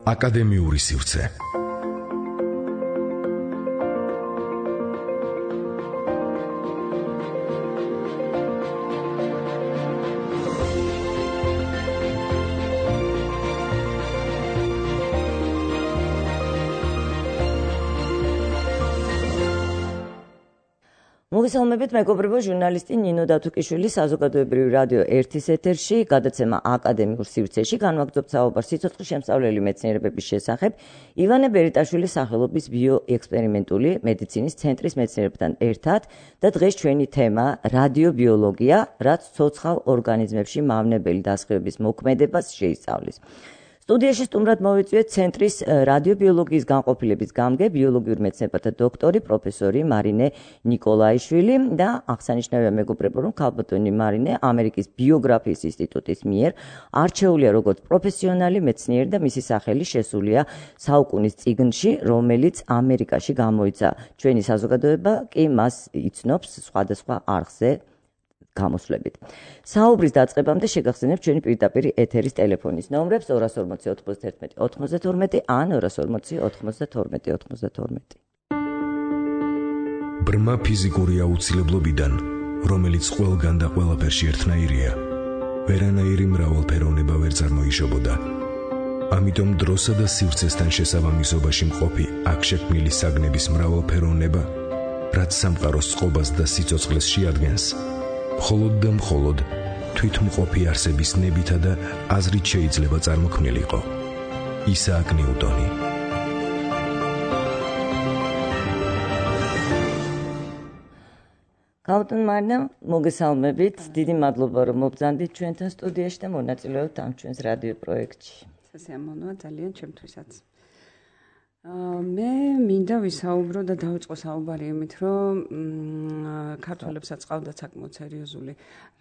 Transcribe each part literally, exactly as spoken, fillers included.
აკადემიური სივრცე. მოგესალმებით, მეგობრებო, ჟურნალისტი ნინო დათუკიშვილი საზოგადოებრივი რადიო ერთის ეთერში, გადაცემა აკადემიურ სივრცეში განვაგრძობთ საუბარს სიცოცხლის შემსწავლელი მეცნიერებების შესახებ ივანე ბერიტაშვილის სახელობის ბიოექსპერიმენტული მედიცინის ცენტრის მეცნიერებთან ერთად და დღეს ჩვენი თემა რადიობიოლოგია, რაც ცოცხალ ორგანიზმებში მავნებელი დასხივების მოქმედებას შეისწავლის. სტუდიაში სტუმრად მოვიწვიეთ ცენტრის რადიობიოლოგიის განყოფილების გამგე, ბიოლოგიურ მეცნიერებათა დოქტორი, პროფესორი მარინე ნიკოლაიშვილი და აღსანიშნავია მეგობრებო, რომ ქალბატონი მარინე ამერიკის ბიოგრაფიის ინსტიტუტის მიერ არჩეულია როგორც პროფესიონალი მეცნიერი და მისი სახელი შესულია საუკუნის წიგნში, რომელიც ამერიკაში გამოიცა. ჩვენი საზოგადოება კი მას იცნობს სხვადასხვა არხზე გამოსვლებით. საუბრის დაწყებამდე შეგახსენებთ ჩვენი პირდაპირ ეთერის ტელეფონის ნომრებს ორას ორმოცი ოთხმოცდაერთმეტი ოთხმოცდათორმეტი ან ორას ორმოცი ოთხმოცდათორმეტი ოთხმოცდათორმეტი. ბრმა ფიზიკური აუცილებლობიდან, რომელიც ყველგან და ყველაფერში ერთნაირია, ვერანაირი მრავალფეროვნება ვერ წარმოიშობოდა. ამიტომ დროსა და სივრცესთან შესაბამისობაში მყოფი აქ შექმნილი საგნების მრავალფეროვნება, რაც სამყაროს წყობას და სიცოცხლეს შეადგენს, მხოლოდ და მხოლოდ თვითმყოფი არსების ნებითა და აზრით შეიძლება წარმოქმნილიყო. ისააკ ნიუტონი. ქალბატონ მარინე, მოგესალმებით. დიდი მადლობა, რომ მობრძანდით ჩვენთან სტუდიაში და მონაწილეობთ ამ ჩვენს რადიო პროექტში. სასიამოვნოა ძალიან ჩემთვისაც. მე მინდა ვისაუბრო და დავიწყო საუბარი იმით, რომ ქართველებსაც ყავდათ საკმაოდ სერიოზული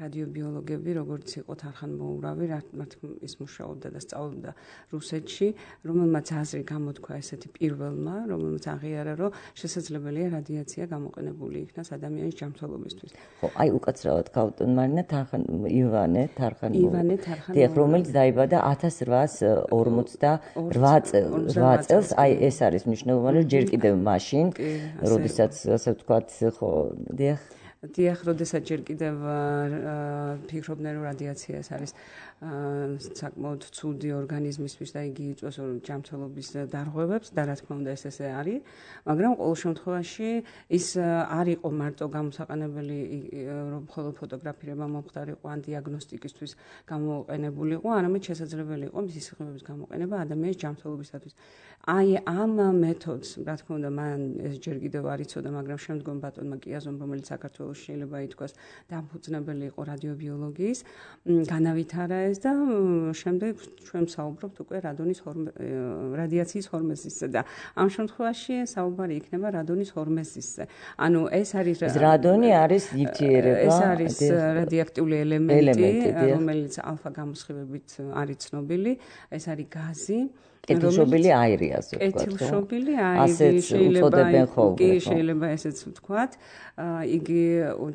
რადიობიოლოგები, როგორც იყო თარხან მოურავი, მათ ის მუშაობდა და სწავლობდა რუსეთში, რომელმაც აზრი გამოთქვა ესეთი პირველმა, რომელმაც აღიარა, რომ შესაძლებელია რადიაცია გამოყენებული იქნას ადამიანის ჯანმრთელობისთვის. ხო, აი უკაცრავად ქალბატონ მარინე თარხან ივანე თარხან ივანე თარხან რომელიც დაიბადა ათას რვაას ორმოცდარვა წელს, აი ეს არის მნიშვნელოვანი, ჯერ კიდევ მაშინ, როდესაც ასე ვთქვათ, ხო, დიახ. დიახ, როდესაც ჯერ კიდევ ფიქრობდნენ, რომ რადიაცია ეს არის საკმაოდ ცუდი ორგანიზმისთვის და იგი იწვევს ჯანმრთელობის დარღვევებს და რა თქმა უნდა ეს ესე არის, მაგრამ ყოველ შემთხვევაში ის არ იყო მარტო გამოსაყენებელი, რომ მხოლოდ ფოტოგრაფირება მომხდარიყო ან დიაგნოსტიკისთვის გამოყენებულიყო, არამედ შესაძლებელი იყო მისი სიღრმეების გამოყენება ადამიანის ჯანმრთელობისათვის. აი ამ მეთოდს, რა თქმა უნდა, მან ეს ჯერ კიდევ არ იცოდა, მაგრამ შემდგომ ბატონმა კიაზომ, რომელიც საქართველოს შეიძლება ითქვას დამფუძნებელი იყო რადიობიოლოგიის, განავითარა ეს და შემდეგ ჩვენ საუბრობთ უკვე რადონის რადიაციის ჰორმეზისზე და ამ შემთხვევაში საუბარი იქნება რადონის ჰორმეზისზე. ანუ ეს არის რადონი არის ნივთიერება, ეს არის რადიოაქტიული ელემენტი, რომელიც ალფა გამოსხივებით არის ცნობილი, ეს არის გაზი. კეთილშობილი აირი, ასე ვთქვათ. კეთილშობილი აირი შეიძლება კი შეიძლება ესეც ვთქვათ. იგი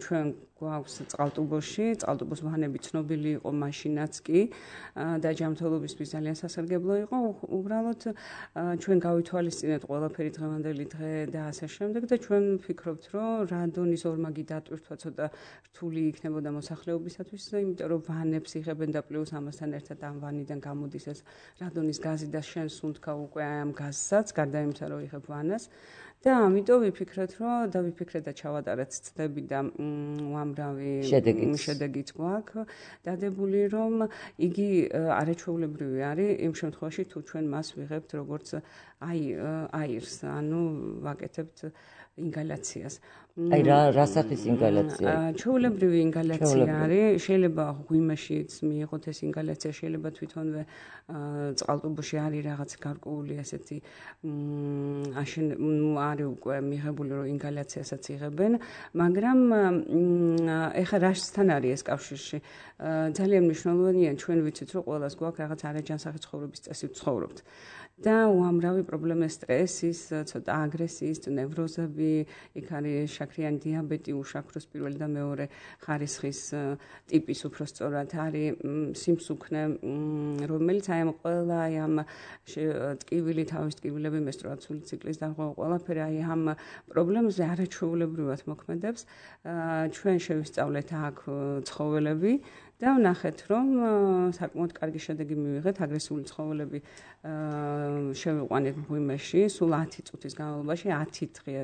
ჩვენ გვაქვს წყალტუბოში, წყალტუბოს ვანები ცნობილი იყო მაშინაც კი და ჯანმრთელობისთვის ძალიან სასარგებლო იყო. უბრალოდ ჩვენ გავითვალისწინეთ ყველაფერი დღევანდელი დღე და ასე შემდეგ და ჩვენ ვფიქრობთ, რომ რადონის ორმაგი დატვირთვა ცოტა რთული იქნებოდა მოსახლეობისათვის, იმიტომ რომ ვანებს იღებენ და პლუს ამასთან ერთად ამ ვანიდან გამოდის ეს რადონის გაზი და შენ სუნთქა უკვე ამ გაზსაც, გარდა იმისა, რომ იღებ ვანას. და ამიტომ ვიფიქრეთ, რომ და ვიფიქრეთ და ჩავატარეთ ცდები და უამრავი შედეგიც გვაქვს დადებული, რომ იგი არაჩვეულებრივი არის იმ შემთხვევაში, თუ ჩვენ მას ვიღებთ როგორც აი აირს, ანუ ვაკეთებთ ინგალაციას. აი რა რა სახის ინგალაცია? ჩვეულებრივი ინგალაცია არის, შეიძლება ღვიმაშიც მიიღოთ ეს ინგალაცია, შეიძლება თვითონვე წყალტუბოში არის რაღაც გარკვეული ასეთი აშენ არის უკვე მიღებული, რომ ინგალაციასაც იღებენ, მაგრამ ეხლა რასთან არის ეს კავშირში? ძალიან მნიშვნელოვანია, ჩვენ ვიცით, რომ ყველას გვაქვს რაღაც არაჯანსაღი ცხოვრების წესი ვცხოვრობთ. და უამრავი პრობლემა სტრესის, ცოტა აგრესიის, ნევროზები პრობლემები, იქ არის შაქრიანი დიაბეტი, უშაქროს პირველი და მეორე ხარისხის ტიპის უпростоრად არის სიმსუქნე, რომელიც აი ამ ყველა აი ამ ტკივილი, თავის ტკივილები, მენსტრუაციული ციკლის დარღვევა, ყველაფერი აი ამ პრობლემებზე არაჩვეულებრივად მოქმედებს. ჩვენ შევისწავლეთ აქ ცხოველები და ვნახეთ, რომ საკმაოდ კარგი შედეგი მივიღეთ. აგრესიული ცხოველები შევიყვანეთ მღვიმეში, სულ ათი წუთის განმავლობაში, ათი დღე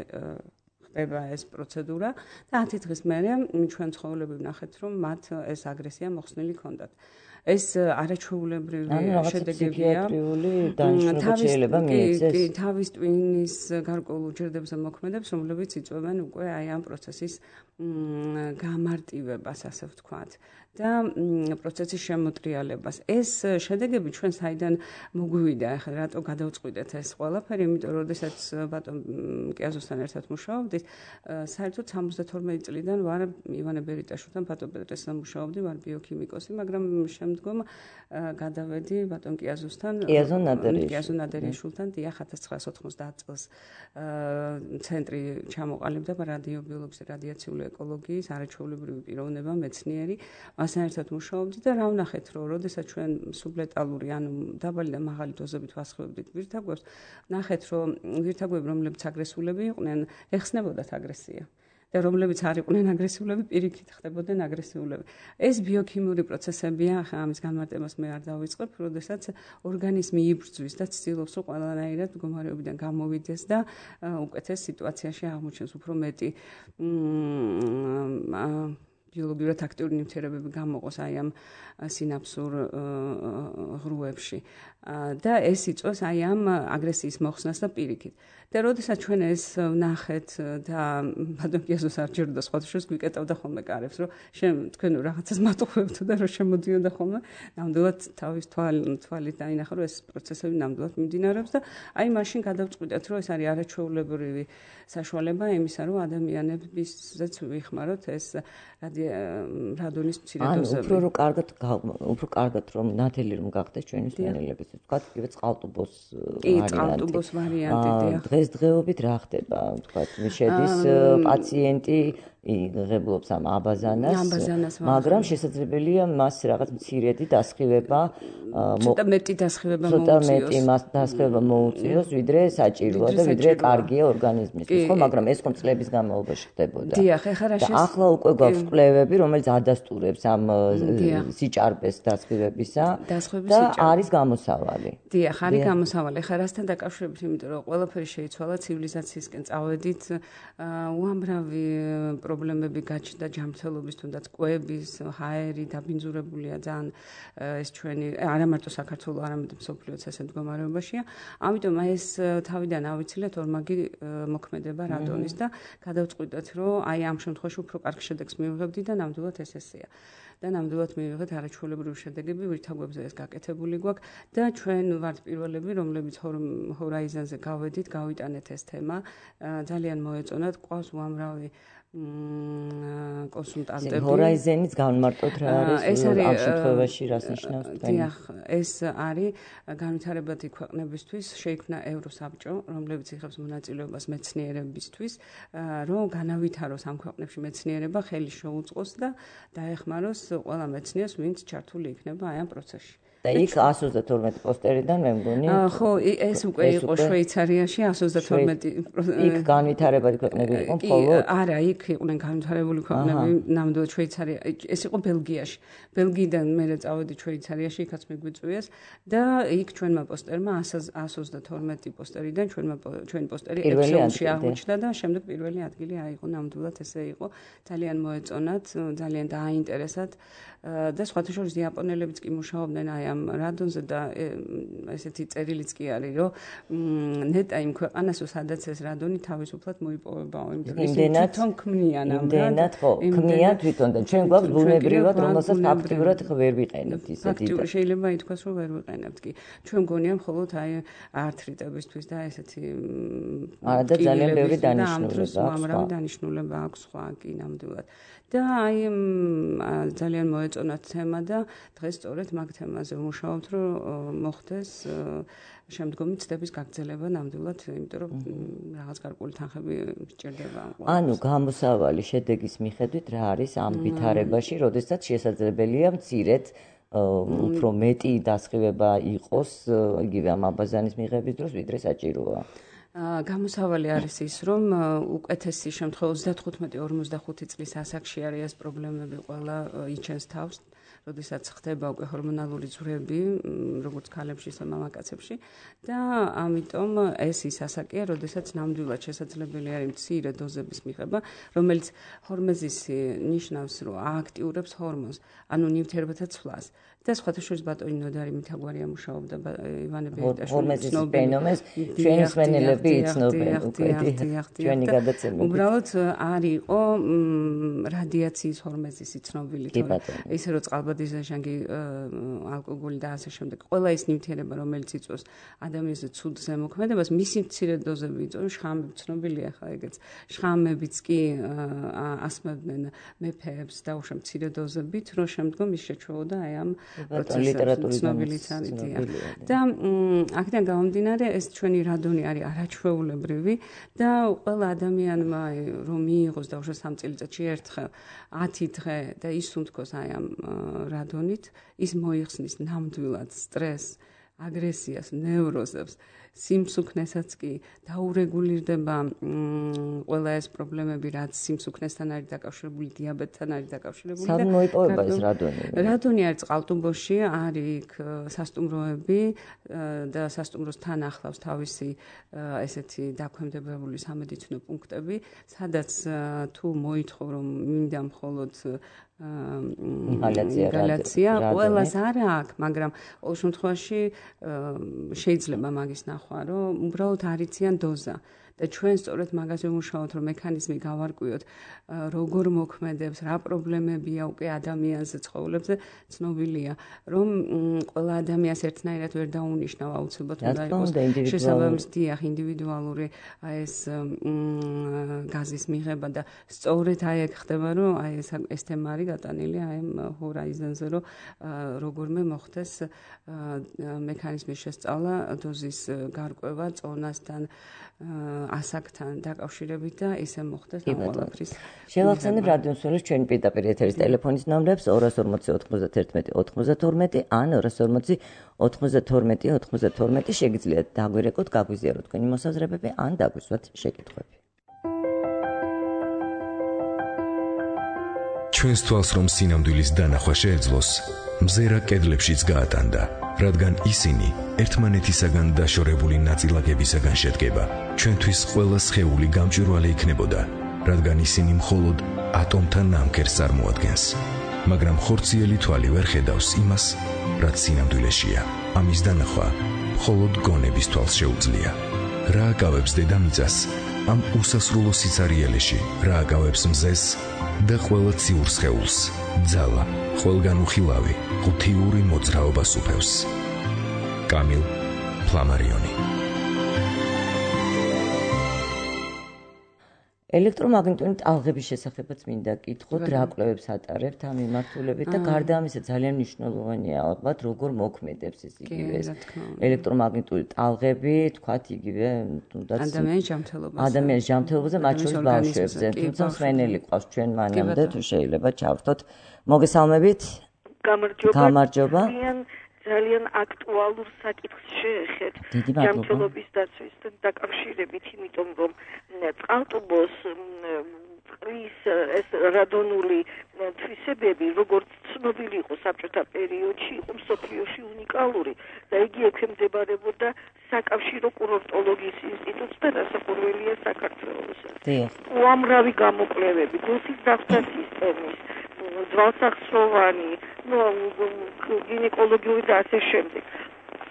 ხდება ეს პროცედურა და ათი დღის მერე ჩვენ ცხოველები ვნახეთ, რომ მათ ეს აგრესია მოხსნილი ჰქონდათ. ეს არაჩვეულებრივი შედეგებია. დანიშნულება შეიძლება მიეცეს. თავის ტვინის გარკვეულ უჯრედებზე მოქმედებს, რომლებიც იწვევენ უკვე აი ამ პროცესის გამარტივებას, ასე ვთქვათ, და პროცესის შემოტრიალებას. ეს შედეგები ჩვენ საიდან მოგვივიდა, ახლა რატო გადავწყვიტეთ ეს ყველაფერი, იმიტომ რომ როდესაც ბატონ კიაზოსთან ერთად მუშაობდით, საერთოდ სამოცდათორმეტი წლიდან ვარ ივანე ბერიტაშვილთან, ბატონ პეტრესთან მუშაობდი, ვარ ბიოქიმიკოსი, მაგრამ შემდგომ გადავედი ბატონ კიაზოსთან, კიაზონ ნადერიშვილთან, დიახ, ათას ცხრაასი ოთხმოცდაათ წელს ცენტრი ჩამოყალიბდა რადიობიოლოგიის და რადიაციული ეკოლოგიის არაჩვეულებრივი პიროვნება, მეცნიერი, მასთან ერთად მუშაობდი და რა ვნახეთ, რომ როდესაც ჩვენ სუბლეტალური, ანუ დაბალი და მაღალი დოზებით ვასხივებდით ვირთაგვებს, ვნახეთ, რომ ვირთაგვები, რომლებიც აგრესულები იყვნენ, ეხსნებოდათ აგრესია. და რომლებიც არ იყვნენ აგრესიულები, პირიქით ხდებოდნენ აგრესიულები. ეს ბიოქიმიური პროცესებია, ახლა ამის განმარტებას მე არ დავიწყებ, როდესაც ორგანიზმი იბრძვის და ცდილობს, რომ ყველანაირად მდგომარეობიდან გამოვიდეს და უკეთეს სიტუაციაში აღმოჩნდეს, უფრო მეტი ბიოლოგიურად აქტიური ნივთიერებები გამოყოს აი ამ სინაფსურ ღრუებში. და ეს იწვევს აი ამ აგრესიის მოხსნას და პირიქით. და როდესაც ჩვენ ეს ვნახეთ და ბატონ კიაზოს არ ჯეროდა სხვათაშორის გვიკეტავდა ხოლმე კარებს, რომ თქვენ რაღაცას მატუხებთ და რომ შემოდიოდა ხოლმე, ნამდვილად თავის თვალით დაინახა, რომ ეს პროცესები ნამდვილად მიმდინარეობს და აი მაშინ გადავწყვიტეთ, რომ ეს არის არაჩვეულებრივი საშუალება იმისა, რომ ადამიანებისზეც ვიხმაროთ ეს რადონის მცირე დოზები. ანუ უფრო რომ კარგად უფრო კარგად რომ ნათელი რომ გახდეს ჩვენი სვენელების, თქვა კიდე წყალტუბოს ვარიანტი. კი, წყალტუბოს ვარიანტი, დიახ. დღესდღეობით რა ხდება, თქვა, შედის პაციენტი იღებლობს ამ აბაზანას, მაგრამ შესაძლებელია მას რაღაც მცირედი დასხივება, ცოტა მეტი დასხივება მოუწიოს. ცოტა მეტი მას დასხივება მოუწიოს, ვიდრე საჭიროა და ვიდრე კარგია ორგანიზმისთვის, ხო, მაგრამ ეს ხომ წლების განმავლობაში ხდებოდა. დიახ, ეხლა რა და ახლა უკვე გვაქვს კვლევები, რომელიც ადასტურებს ამ სიჭარბეს დასხივებისა და არის გამოსავალი. დიახ, არის გამოსავალი. ეხლა რასთან დაკავშირებით, იმიტომ რომ ყველაფერი შეიცვალა ცივილიზაციისკენ წავედით, უამრავი პრობლემები გაჩნდა ჯანმრთელობის, თუნდაც კვების, ჰაერი დაბინძურებულია ძალიან ეს ჩვენი არა მარტო საქართველოს, არამედ მსოფლიოს ესე მდგომარეობაშია. ამიტომ ეს თავიდან ავიცილეთ ორმაგი მოქმედება რადონის და გადავწყვიტეთ, რომ აი ამ შემთხვევაში უფრო კარგ შედეგს მივიღებდი და ნამდვილად ეს ესეა. და ნამდვილად მივიღეთ არაჩვეულებრივი შედეგები, ვირთაგვებზე ეს გაკეთებული გვაქვს და ჩვენ ვართ პირველები, რომლებიც ჰორაიზონზე გავედით, გავიტანეთ ეს თემა, ძალიან მოეწონათ, ყავს უამრავი კონსულტანტები. ჰორაიზონის განმარტოთ რა არის ამ შემთხვევაში რას ნიშნავს? დიახ, ეს არის განვითარებადი ქვეყნებისთვის შეიქმნა ევროსაბჭო, რომლებიც იღებს მონაწილეობას მეცნიერებისთვის, რომ განავითაროს ამ ქვეყნებში მეცნიერება, ხელი შეუწყოს და დაეხმაროს ყველა მეცნიერს, ვინც ჩართული იქნება აი ამ პროცესში. და იქ εκατს ოცდათორმეტი პოსტერიდან მე მგონი. ხო, ეს უკვე იყო შვეიცარიაში εκατს ოცდათორმეტი. იქ განვითარებადი ქვეყნები იყო მხოლოდ? არა, იქ იყვნენ განვითარებული ქვეყნები, ნამდვილად შვეიცარია. ეს იყო ბელგიაში. ბელგიიდან მე წავედი შვეიცარიაში, იქაც მიგვიწვიეს და იქ ჩვენმა პოსტერმა εκατს ოცდათორმეტი პოსტერიდან ჩვენმა ჩვენი პოსტერი ექსელში აღმოჩნდა და შემდეგ პირველი ადგილი აიღო, ნამდვილად ესე იყო. ძალიან მოეწონათ, ძალიან დააინტერესათ და სხვათა შორის იაპონელებიც კი მუშაობდნენ აი ამ რადონზე და ესეთი წერილიც კი არის, რომ ნეტა იმ ქვეყანას, სადაც ეს რადონი თავისუფლად მოიპოვებაო, იმდენად თვითონ ქმნიან ამ იმდენად ხო, ქმნიან თვითონ და ჩვენ გვაქვს ბუნებრივად, რომელსაც ფაქტიურად ხო ვერ ვიყენებთ ისეთი. ფაქტიურად შეიძლება ითქვას, რომ ვერ ვიყენებთ კი. ჩვენ მგონია მხოლოდ აი ართრიტებისთვის და ესეთი არა და ძალიან ბევრი დანიშნულება აქვს. უამრავი დანიშნულება აქვს სხვა კი ნამდვილად. და აი ძალიან მოეწონათ მოეწონათ თემა და დღეს სწორედ მაგ თემაზე ვმუშაობთ, რომ მოხდეს შემდგომი ცდების გაგრძელება ნამდვილად, იმიტომ რომ რაღაც გარკვეული თანხები სჭირდება. ანუ გამოსავალი შედეგის მიხედვით რა არის ამ ვითარებაში, როდესაც შესაძლებელია მცირედ უფრო მეტი დასხივება იყოს იგივე ამ აბაზანის მიღების დროს, ვიდრე საჭიროა. გამოსავალი არის ის, რომ უკეთესი შემთხვევა ოცდათხუთმეტი ორმოცდახუთი წლის ასაკში არის ეს პრობლემები ყველა იჩენს თავს, როდესაც ხდება უკვე ჰორმონალური ძვრები, როგორც ქალებში, ისე მამაკაცებში და ამიტომ ეს ის ასაკია, როდესაც ნამდვილად შესაძლებელი არის მცირე დოზების მიღება, რომელიც ჰორმეზისი ნიშნავს, რომ ააქტიურებს ჰორმონს, ანუ ნივთიერებათა ცვლას. და სხვათა შორის ბატონი ნოდარი მითაგვარია მუშაობდა ივანე ბერიტაშვილი ცნობენს ჩვენი მსმენელები იცნობენ უკვე ჩვენი გადაცემები. უბრალოდ არ იყო რადიაციის ჰორმეზისი ცნობილი თორე ისე რომ წყალბადიზაშანგი ალკოგოლი და ასე შემდეგ ყველა ის ნივთიერება რომელიც იწვევს ადამიანზე ცუდ ზემოქმედებას მისი მცირე დოზები იწვევს შხამები ცნობილია ხა ეგეც შხამებიც კი ასმევდნენ მეფეებს და უშო მცირე დოზებით რომ შემდგომ ის შეჩვეოდა აი ამ ლიტერატურის და აქედან გამომდინარე ეს ჩვენი რადონი არის არაჩვეულებრივი და ყველა ადამიანმა რომ მიიღოს და უშო სამ წელიწადში ერთხელ ათი დღე და ისუნთქოს აი ამ რადონით ის მოიხსნის ნამდვილად სტრესს აგრესიას ნევროზებს სიმსუქნესაც კი დაურეგულირდება ყველა ეს პრობლემები რაც სიმსუქნესთან არის დაკავშირებული დიაბეტთან არის დაკავშირებული და მოიპოვება ეს რადონი რადონი არის წყალტუბოში არის იქ სასტუმროები და სასტუმროს თან ახლავს თავისი ესეთი დაქვემდებარებული სამედიცინო პუნქტები სადაც თუ მოითხოვ რომ მინდა მხოლოდ ინჰალაცია ყველას არ აქვს მაგრამ ყოველ შემთხვევაში შეიძლება მაგის ნახვა რომ უბრალოდ არიციან დოზა და ჩვენ სწორედ მაგაზე ვმუშაობთ რომ მექანიზმი გავარკვიოთ როგორ მოქმედებს რა პრობლემებია უკვე ადამიანზე ცხოველებზე ცნობილია რომ ყველა ადამიანს ერთნაირად ვერ დაუნიშნავ აუცილებლად უნდა იყოს შესაბამისი დიახ ინდივიდუალური ეს გაზის მიღება და სწორედ აი ეგ ხდება რომ აი ეს ეს თემა არის გატანილი აი ჰორაიზონზე რომ როგორმე მოხდეს მექანიზმის შესწავლა დოზის გარკვევა წონასთან ასაკთან დაკავშირებით და ისე მოხდეს ამ ყველაფრის. შევახსენებ რადიოსმენელს ჩვენი პირდაპირ ეთერის ტელეფონის ნომრებს ორას ორმოცი ოთხმოცდაერთმეტი ოცდათორმეტი ან ორას ორმოცი ოთხმოცდათორმეტი ოცდათორმეტი შეგიძლიათ დაგვირეკოთ, გაგვიზიაროთ თქვენი მოსაზრებები ან დაგვისვათ შეკითხვები. ჩვენს თვალს რომ სინამდვილის დანახვა შეეძლოს, მზერა კედლებშიც გაატანდა, რადგან ისინი ერთმანეთისაგან დაშორებული ნაწილაკებისაგან შედგება. ჩვენთვის ყველა სხეული გამჭვირვალე იქნებოდა, რადგან ისინი მხოლოდ ატომთა ნამქერს წარმოადგენს. მაგრამ ხორციელი თვალი ვერ ხედავს იმას, რაც სინამდვილეშია. ამის დანახვა მხოლოდ გონების თვალს შეუძლია. რა აკავებს დედამიწას ამ უსასრულო სიცარიელეში, რა აკავებს მზეს და ყველა ციურ სხეულს, ძალა, ყველგან უხილავი, ღუთიური მოძრაობა სუფევს. კამილ ფლამარიონი. ელექტრომაგნიტური ტალღების შესახებაც მინდა კითხოთ, რა კვლევებს ატარებთ ამ მიმართულებით და გარდა ამისა ძალიან მნიშვნელოვანია ალბათ როგორ მოქმედებს ეს იგივე ეს ელექტრომაგნიტური ტალღები, თქვათ იგივე თუნდაც ადამიანის ჯანმრთელობაზე. ადამიანის ჯანმრთელობაზე, მათ შორის ბავშვებზე. თუმცა მსმენელი ყავს ჩვენ მანამდე თუ შეიძლება ჩავრთოთ. მოგესალმებით. გამარჯობა. გამარჯობა. ძალიან აქტუალურ საკითხს შეეხეთ ჯანმრთელობის დაცვისთან დაკავშირებით, იმიტომ რომ წყალტუბოს წყლის ეს რადონული თვისებები, როგორც ცნობილი იყო საბჭოთა პერიოდში, იყო მსოფლიოში უნიკალური და იგი ექვემდებარებოდა საკავშირო კურორტოლოგიის ინსტიტუტს და რასაკვირველია საქართველოსაც. უამრავი გამოკვლევები, გულსის დafta სისტემის, ძვალსახსროვანი, ну, გინეკოლოგიური და ასე შემდეგ.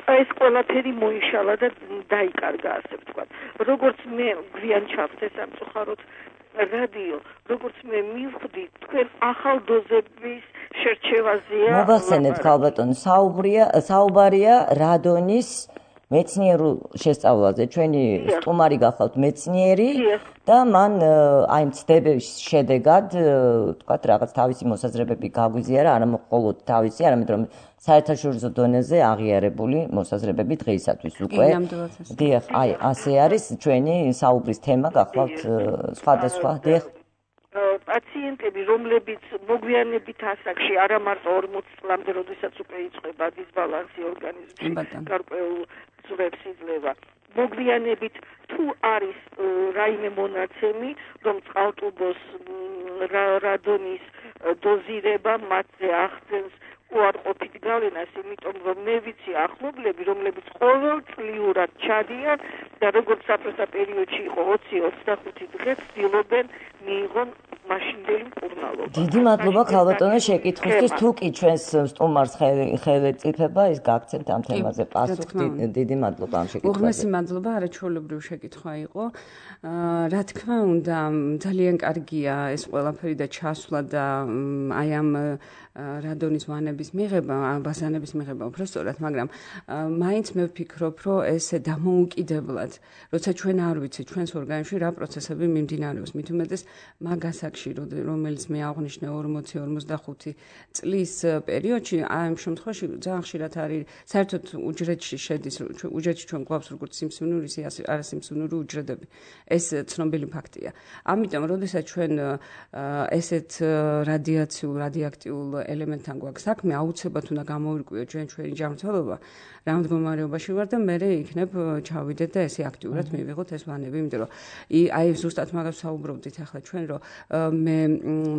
ეს ყველაფერი მოიშალა და დაიკარგა, ასე ვთქვათ. როგორც მე გვიან ჩავხდე სამწუხაროდ რადიო, როგორც მე მივხვდი, თქვენ ახალ დოზების შერჩევაზეა. მოგახსენებთ, ქალბატონო, საუბრია, საუბარია რადონის მეცნიერულ შესწავლაზე. ჩვენი სტუმარი გახლავთ მეცნიერი და მან აი მცდების შედეგად თქვათ რაღაც თავისი მოსაზრებები გაგვიზიარა, არა მხოლოდ თავისი, არამედ რომ საერთაშორისო დონეზე აღიარებული მოსაზრებები დღეისათვის უკვე. დიახ, აი ასე არის ჩვენი საუბრის თემა გახლავთ სხვადასხვა. დიახ. პაციენტები, რომლებიც მოგვიანებით ასაკში არა მარტო ორმოც წლამდე, როდესაც უკვე იწყება დისბალანსი ორგანიზმში, გარკვეულ ძვებს იძლევა. მოგვიანებით თუ არის რაიმე მონაცემი, რომ წყალტუბოს რადონის დოზირება მათზე ახდენს უარყოფით გავლენას, იმიტომ რომ მე ვიცი ახლობლები, რომლებიც ყოველწლიურად ჩადიან და როგორც საფრთხე პერიოდში იყო ოცი ოცდახუთი დღე ცდილობენ მიიღონ მაშინდელი მკურნალობა. დიდი მადლობა ქალბატონო შეკითხვისთვის. თუ კი ჩვენს სტუმარს ხელეწიფება, ის გაგცემთ ამ თემაზე პასუხს. დიდი მადლობა ამ შეკითხვაზე. უღმესი მადლობა, არაჩვეულებრივი შეკითხვა იყო. რა თქმა უნდა, ძალიან კარგია ეს ყველაფერი და ჩასვლა და აი ამ რადონის ვანების მიღება, ბაზანების მიღება უბრალოდ, მაგრამ მაინც მე ვფიქრობ, რომ ეს დამოუკიდებლად, როცა ჩვენ არ ვიცით ჩვენს ორგანიზმში რა პროცესები მიმდინარეობს, მით უმეტეს მაგ ასაკში, რომელიც მე აღვნიშნე ორმოცი ორმოცდახუთი წლის პერიოდში, აი ამ შემთხვევაში ძალიან ხშირად არის საერთოდ უჯრედში შედის, უჯრედში ჩვენ გვაქვს როგორც სიმსივნური, არასიმსივნური უჯრედები. ეს ცნობილი ფაქტია. ამიტომ, როდესაც ჩვენ ესეთ რადიაციულ, რადიოაქტიულ ელემენტთან გვაქვს საქმე, აუცილებლად უნდა გამოვირკვიოთ ჩვენ ჩვენი ჯანმრთელობა, რა მდგომარეობაში ვარ და მე იქნებ ჩავიდეთ და ესე აქტიურად მივიღოთ ეს ვანები, იმიტომ რომ აი ზუსტად მაგას საუბრობდით ახლა ჩვენ, რომ მე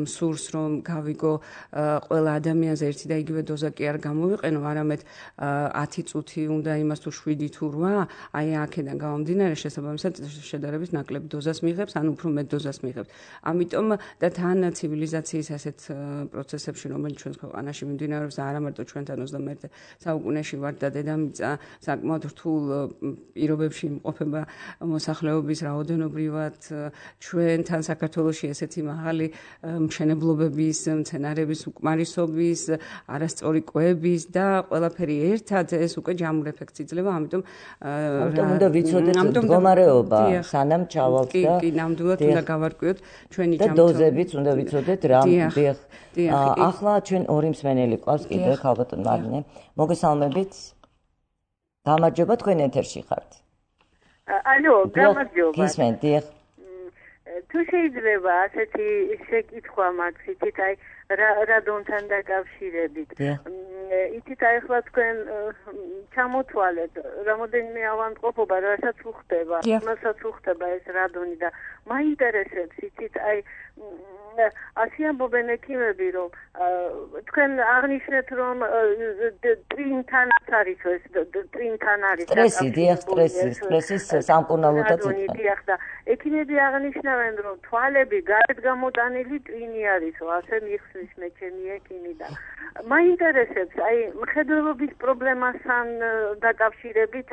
სურს რომ გავიგო ყველა ადამიანზე ერთი და იგივე დოზა კი არ გამოვიყენო, არამედ ათი წუთი უნდა იმას თუ შვიდი თუ რვა, აი აქედან გამომდინარე შესაბამისად შედარებით ნაკლებ დოზას მიიღებს, ან უფრო მეტ დოზას მიიღებს. ამიტომ და თან ცივილიზაციის ასეთ პროცესებში, რომელიც ჩვენს ქვეყანაში მიმდინარეობს და არა მარტო ჩვენთან ოცდამეერთე საუკუნეში ვარ და დედამიწა საკმაოდ რთულ პირობებში იმყოფება მოსახლეობის რაოდენობრივად, ჩვენთან საქართველოში ესეთი მაღალი მშენებლობების, მცენარეების უკმარისობის, არასწორი კვების და ყველაფერი ერთად ეს უკვე ჯამურ ეფექტს იძლევა, ამიტომ ამიტომ უნდა ვიცოდეთ მდგომარეობა, სანამ ჩავალთ და კი, ნამდვილად უნდა გავარკვიოთ ჩვენი ჯანმრთელობა. და დოზებიც უნდა ვიცოდეთ რა. ახლა ჩვენ ორი მსმენელი ყავს კიდე ქალბატონ მარინე. მოგესალმებით. გამარჯობა, თქვენ ეთერში ხართ. ალო, გამარჯობა. გისმენთ, დიახ. თუ შეიძლება ასეთი შეკითხვა მაქვს, იცით, აი რადონთან დაკავშირებით. იცით, აი ახლა თქვენ ჩამოთვალეთ, რამოდენიმე ავადმყოფობა, რასაც უხდება, მასაც უხდება ეს რადონი და მაინტერესებს, იცით, აი ასე ამბობენ ექიმები, რომ თქვენ აღნიშნეთ, რომ ტრინთანაც არის ეს, ტრინთან არის სტრესი, დიახ, სტრესი, სტრესის სამკურნალოდაც დიახ და ექიმები აღნიშნავენ, რომ თვალები გარეთ გამოტანილი ტრინი არისო, ასე მიხსნის მე ჩემი ექიმი და მაინტერესებს, აი მხედველობის პრობლემასთან დაკავშირებით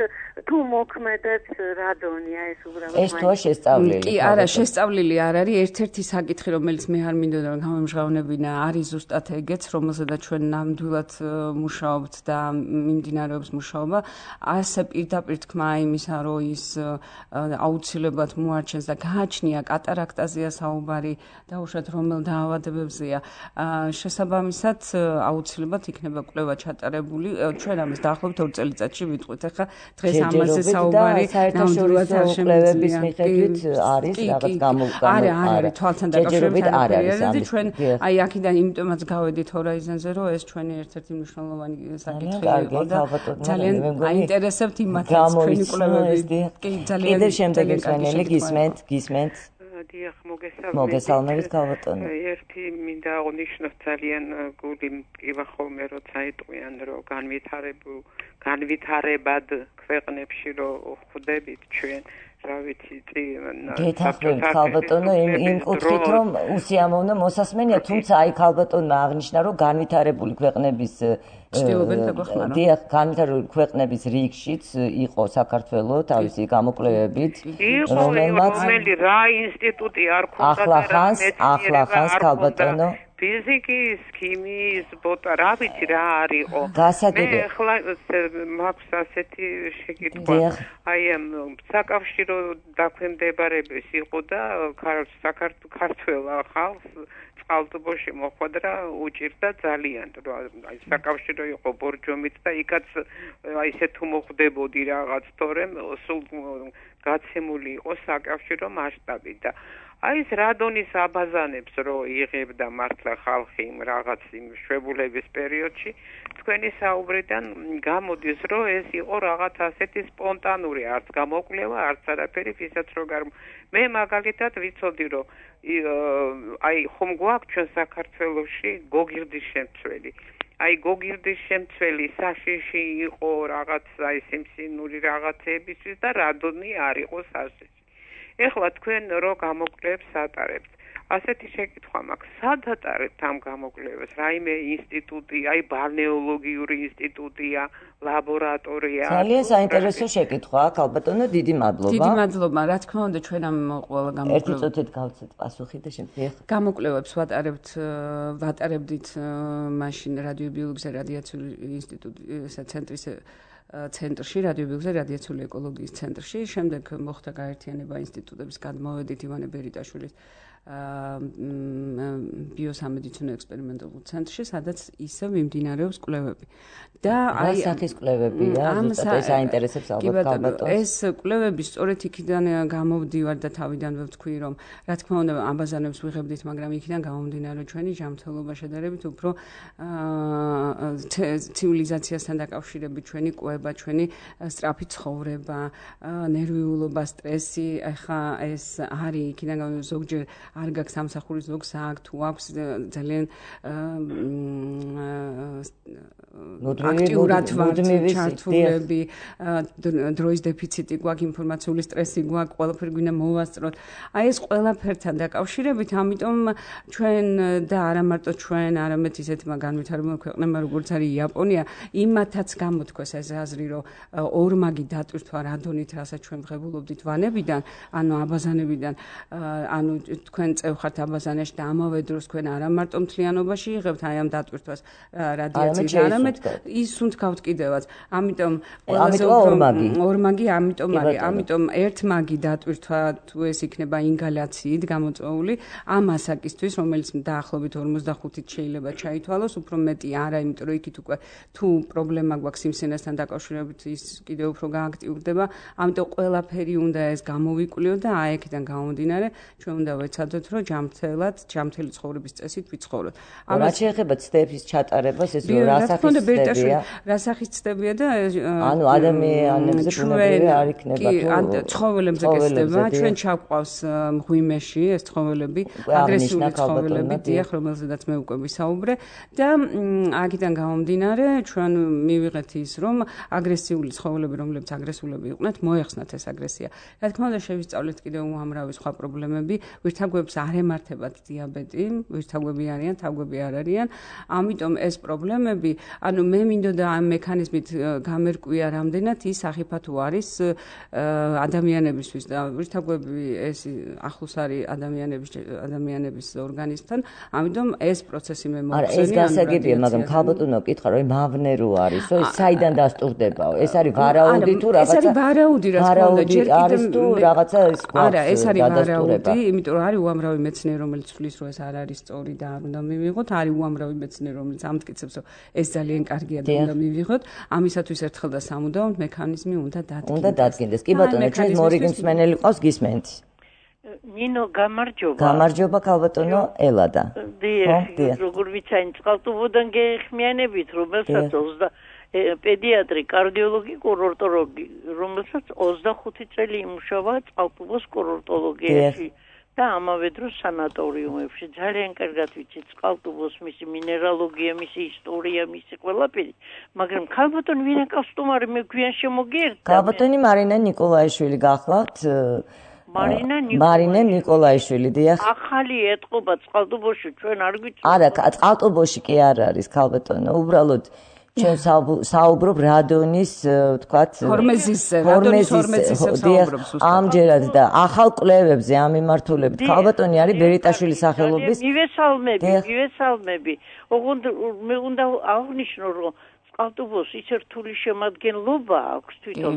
თუ მოქმედებს რადონი, აი ეს უბრალოდ ეს თოა შესწავლილი. კი, არა, შესწავლილი არ არის, ერთ-ერთი საკითხი, რომელიც მე არ მინდოდა რომ გამომჟღავნებინა, არის ზუსტად ეგეც, რომელზედაც ჩვენ ნამდვილად მუშაობთ და მიმდინარეობს მუშაობა. ასე პირდაპირ თქმა იმისა, რომ ის აუცილებლად მოარჩენს და გააჩნია კატარაქტაზეა საუბარი, დაუშვათ რომელ დაავადებებზეა. შესაბამისად, აუცილებლად იქნება კვლევა ჩატარებული. ჩვენ ამას დაახლოებით ორ წელიწადში ვიტყვით. ახლა დღეს ამაზე საუბარი ნამდვილად არ შემიძლია. მიხედვით არის რაღაც გამოგგანო. არა, არა, თვალთან დაკავშირებით არ არის. ჩვენ აი აქედან იმიტომაც გავედით ჰორაიზონზე, რომ ეს ჩვენი ერთ-ერთი მნიშვნელოვანი საკითხი იყო და ძალიან აინტერესებთ იმათაც ჩვენი კვლევები. კი, ძალიან კიდევ შემდეგი მსმენელი გისმენთ, გისმენთ. დიახ, მოგესალმებით. მოგესალმებით, ქალბატონო. ერთი მინდა აღნიშნოთ ძალიან გული მტკივა ხოლმე, როცა ეტყვიან, რომ განვითარებულ განვითარებად ქვეყნებში რომ ხვდებით ჩვენ რა ვიცი, გეთახმებით ქალბატონო, იმ კუთხით რომ უსიამოვნო მოსასმენია, თუმცა აი ქალბატონმა აღნიშნა, რომ განვითარებული ქვეყნების დიახ, განვითარებული ქვეყნების რიგშიც იყო საქართველო თავისი გამოკვლევებით, რომელმაც რომელი რა ინსტიტუტი არ ქონდა ახლა ხანს, ახლა ხანს ქალბატონო ფიზიკის, ქიმიის, ბოტა, რა ვიცი რა არისო. გასაგები. მე ხლა მაქვს ასეთი შეკითხვა. აი საკავშირო დაქვემდებარების იყო და საქართველოს ხალხს წყალტუბოში მოხვდა უჭირდა ძალიან. აი საკავშირო იყო ბორჯომით და იქაც აი ესე თუ მოხდებოდი რაღაც თორემ სულ გაცემული იყო საკავშირო მასშტაბით და აი ეს რადონის აბაზანებს რო იღებდა მართლა ხალხი რაღაც იმ შვებულების პერიოდში თქვენი საუბრიდან გამოდის რომ ეს იყო რაღაც ასეთი სპონტანური არც გამოკვლევა არც არაფერი ვისაც რო გარ მე მაგალითად ვიცოდი რომ აი ხომ გვაქვს ჩვენ საქართველოში გოგირდის შემცველი აი გოგირდის შემცველი საშიში იყო რაღაც აი სიმსინური რაღაცებისთვის და რადონი არ იყო საშიში ეხლა თქვენ რო გამოკვლევებს ატარებთ ასეთი შეკითხვა მაქვს სად ატარებთ ამ გამოკვლევებს რაიმე ინსტიტუტი აი ბალნეოლოგიური ინსტიტუტია ლაბორატორია ძალიან საინტერესო შეკითხვა აქ ალბათონო დიდი მადლობა დიდი მადლობა რა თქმა უნდა ჩვენ ამ ყველა გამოკვლევებს ერთი წუთით გავცეთ პასუხი და შემდეგ გამოკვლევებს ვატარებთ ვატარებდით მაშინ რადიობიოლოგიის და რადიაციული ინსტიტუტის ცენტრის ცენტრში რადიობიოლოგიის და რადიაციული ეკოლოგიის ცენტრში შემდეგ მოხდა გაერთიანება ინსტიტუტების გადმოვედით ივანე ბერიტაშვილის ბიოსამედიცინო ექსპერიმენტულ ცენტრში სადაც ისევ მიმდინარეობს კვლევები და აი სახის კვლევებია ზუსტად ეს აინტერესებს ალბათ ალბათ ეს კვლევები სწორედ იქიდან გამოვდივარ და თავიდანვე ვთქვი რომ რა თქმა უნდა აბაზანებს ვიღებდით მაგრამ იქიდან გამომდინარე ჩვენი ჯანმრთელობა შედარებით უფრო ცივილიზაციასთან დაკავშირებით ჩვენი კვება ჩვენი სწრაფი ცხოვრება ნერვიულობა სტრესი ახლა ეს არის იქიდან ზოგჯერ არ გაქვს სამსახურის ზოგს აქ თუ აქვს ძალიან აქტიურად ვართ ჩართულები დროის დეფიციტი გვაქვს ინფორმაციული სტრესი გვაქვს ყველაფერი გვინდა მოვასწროთ აი ეს ყველაფერთან დაკავშირებით ამიტომ ჩვენ და არა მარტო ჩვენ არამედ ისეთმა განვითარებულმა ქვეყნებმა როგორც არის იაპონია იმათაც გამოთქვეს ეს აზრი რომ ორმაგი დატვირთვა რადონით რასაც ჩვენ ვღებულობდით ვანებიდან ანუ აბაზანებიდან ანუ თქვენ წევხართ აბაზანაში და ამავე დროს თქვენ არა მარტო მთლიანობაში იღებთ აი ამ დატვირთვას რადიაციით არამედ ის უნდათ კიდევაც ამიტომ ყველაზე ორმაგი ორმაგი ამიტომ არის ამიტომ ერთმაგი დატვირთვა თუ ეს იქნება ინგალაციით გამოწვეული ამ ასაკისთვის რომელიც დაახლოებით ორმოცდახუთით შეიძლება ჩაითვალოს უფრო მეტი არა იმიტომ რომ იქით უკვე თუ პრობლემა გვაქვს სიმსივნესთან დაკავშირებით ის კიდევ უფრო გააქტიურდება ამიტომ ყველაფერი უნდა ეს გამოვიკვლიოთ და აი აქედან გამომდინარე ჩვენ უნდა ვეცადოთ რომ ჯანმრთელად ჯანმრთელი ცხოვრების წესით ვიცხოვროთ. რა შეეხება ცდების ჩატარებას ეს რა სახის ცდებია? რა სახის ცდებია და ანუ ადამიანებზე ბუნებრივი არ იქნება თუ ცხოველებზე გესდება ჩვენ ჩავყავს მღვიმეში ეს ცხოველები აგრესიული ცხოველები დიახ რომელზედაც მე უკვე ვისაუბრე და აქედან გამომდინარე ჩვენ მივიღეთ ის რომ აგრესიული ცხოველები რომლებიც აგრესულები იყვნენ მოეხსნათ ეს აგრესია. რა თქმა უნდა შევისწავლეთ კიდევ უამრავი სხვა პრობლემები ვირთაგვებს არ ემართებათ დიაბეტი, ვირთაგვები არიან, თაგვები არ არიან. ამიტომ ეს პრობლემები, ანუ მე მინდოდა ამ მექანიზმით გამერკვია რამდენად ის სახიფათო არის ადამიანებისთვის და ვირთაგვები ეს ახლოს არის ადამიანების ადამიანების ორგანიზმთან. ამიტომ ეს პროცესი მე მოვხსენი. არა, ეს გასაგებია, მაგრამ ქალბატონო კითხა რომ მავნე რო არის, რომ საიდან დასტურდებაო? ეს არის ვარაუდი თუ რაღაცა? ეს არის ვარაუდი, რა თქმა უნდა, ჯერ კიდევ თუ რაღაცა ის გვაქვს. არა, ეს არის ვარაუდი, იმიტომ რომ არის უამრავი მეცნიერი, რომელიც თვლის, რომ ეს არ არის სწორი და არ უნდა მივიღოთ. არის უამრავი მეცნიერი, რომელიც ამტკიცებს, რომ ეს ძალიან კარგია და უნდა მივიღოთ. ამისათვის ერთხელ და სამუდამოდ მექანიზმი უნდა დადგინდეს. უნდა დადგინდეს. კი ბატონო, ჩვენს მორიგი მსმენელი ყავს გისმენთ. ნინო გამარჯობა. გამარჯობა ქალბატონო ელადა. დიახ, როგორ ვიცაინ წყალტუბოდან გეხმიანებით, რომელსაც ოცდა პედიატრი, კარდიოლოგი, კურორტოლოგი, რომელსაც ოცდახუთი წელი იმუშავა წყალტუბოს კურორტოლოგიაში. და ამავე დროს სანატორიუმებში ძალიან კარგად ვიცით წყალტუბოს მისი მინერალოგია, მისი ისტორია, მისი ყველაფერი, მაგრამ ქალბატონი ვინაკავს სტუმარი მე გვიან შემოგიერთა. ქალბატონი მარინა ნიკოლაიშვილი გახლავთ? მარინა მარინა ნიკოლაიშვილი, დიახ. ახალი ეტყობა წყალტუბოში ჩვენ არ გვიწევთ. არა, წყალტუბოში კი არ არის ქალბატონო, უბრალოდ ჩვენ საუბრობ რადონის, ვთქვათ, ჰორმეზისზე, რადონის ჰორმეზისზე საუბრობს უბრალოდ. ამჯერად და ახალ კვლევებზე ამ მიმართულებით ქალბატონი არის ბერიტაშვილის სახელობის. მივესალმები, მივესალმები. ოღონდ მე უნდა აღნიშნო, რომ წყალტუბოს ისე რთული შემადგენლობა აქვს თვითონ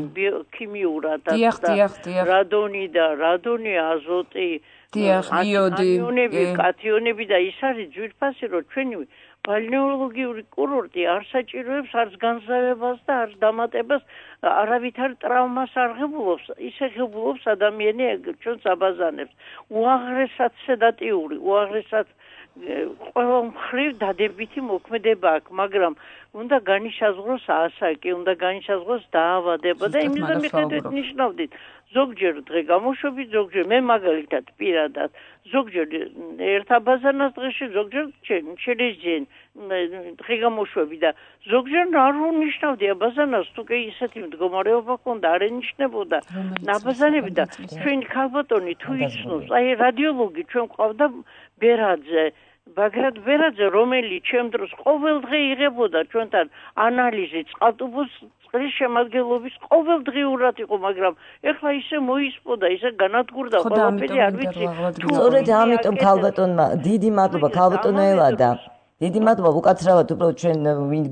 ქიმიურად და რადონი და რადონი, აზოტი, ანიონები, კათიონები და ის არის ძვირფასი, რომ ჩვენი ბალნეოლოგიური კურორტი არ საჭიროებს არც განზავებას და არც დამატებას, არავითარ ტრავმას არ ღებულობს, ისე ღებულობს ადამიანი ჩვენს აბაზანებს. უაღრესად სედატიური, უაღრესად ყველა მხრივ დადებითი მოქმედება აქვს, მაგრამ უნდა განისაზღვროს ასაკი, უნდა განისაზღვროს დაავადება და იმის მიხედვით ნიშნავდით. ზოგჯერ დღე გამოშვებით, ზოგჯერ მე მაგალითად პირადად, ზოგჯერ ერთ აბაზანას დღეში, ზოგჯერ შეიძლება დღე გამოშვები და ზოგჯერ არ უნიშნავდი აბაზანას, თუ კი ისეთი მდგომარეობა ჰქონდა, არ ენიშნებოდა აბაზანები და ჩვენი ქალბატონი თუ იცნობს, აი რადიოლოგი ჩვენ ყავდა ბერაძე, ბაგრატ ბერაძე, რომელიც ჩემ დროს ყოველდღე იღებოდა ჩვენთან ანალიზი წყალტუბოს წყლის შემადგენლობის ყოველდღიურად იყო, მაგრამ ეხლა ისე მოისპოდა, ისე განადგურდა ყველაფერი, არ ვიცი. სწორედ ამიტომ ქალბატონმა დიდი მადლობა ქალბატონო ელადა. დიდი მადლობა უკაცრავად, უბრალოდ ჩვენ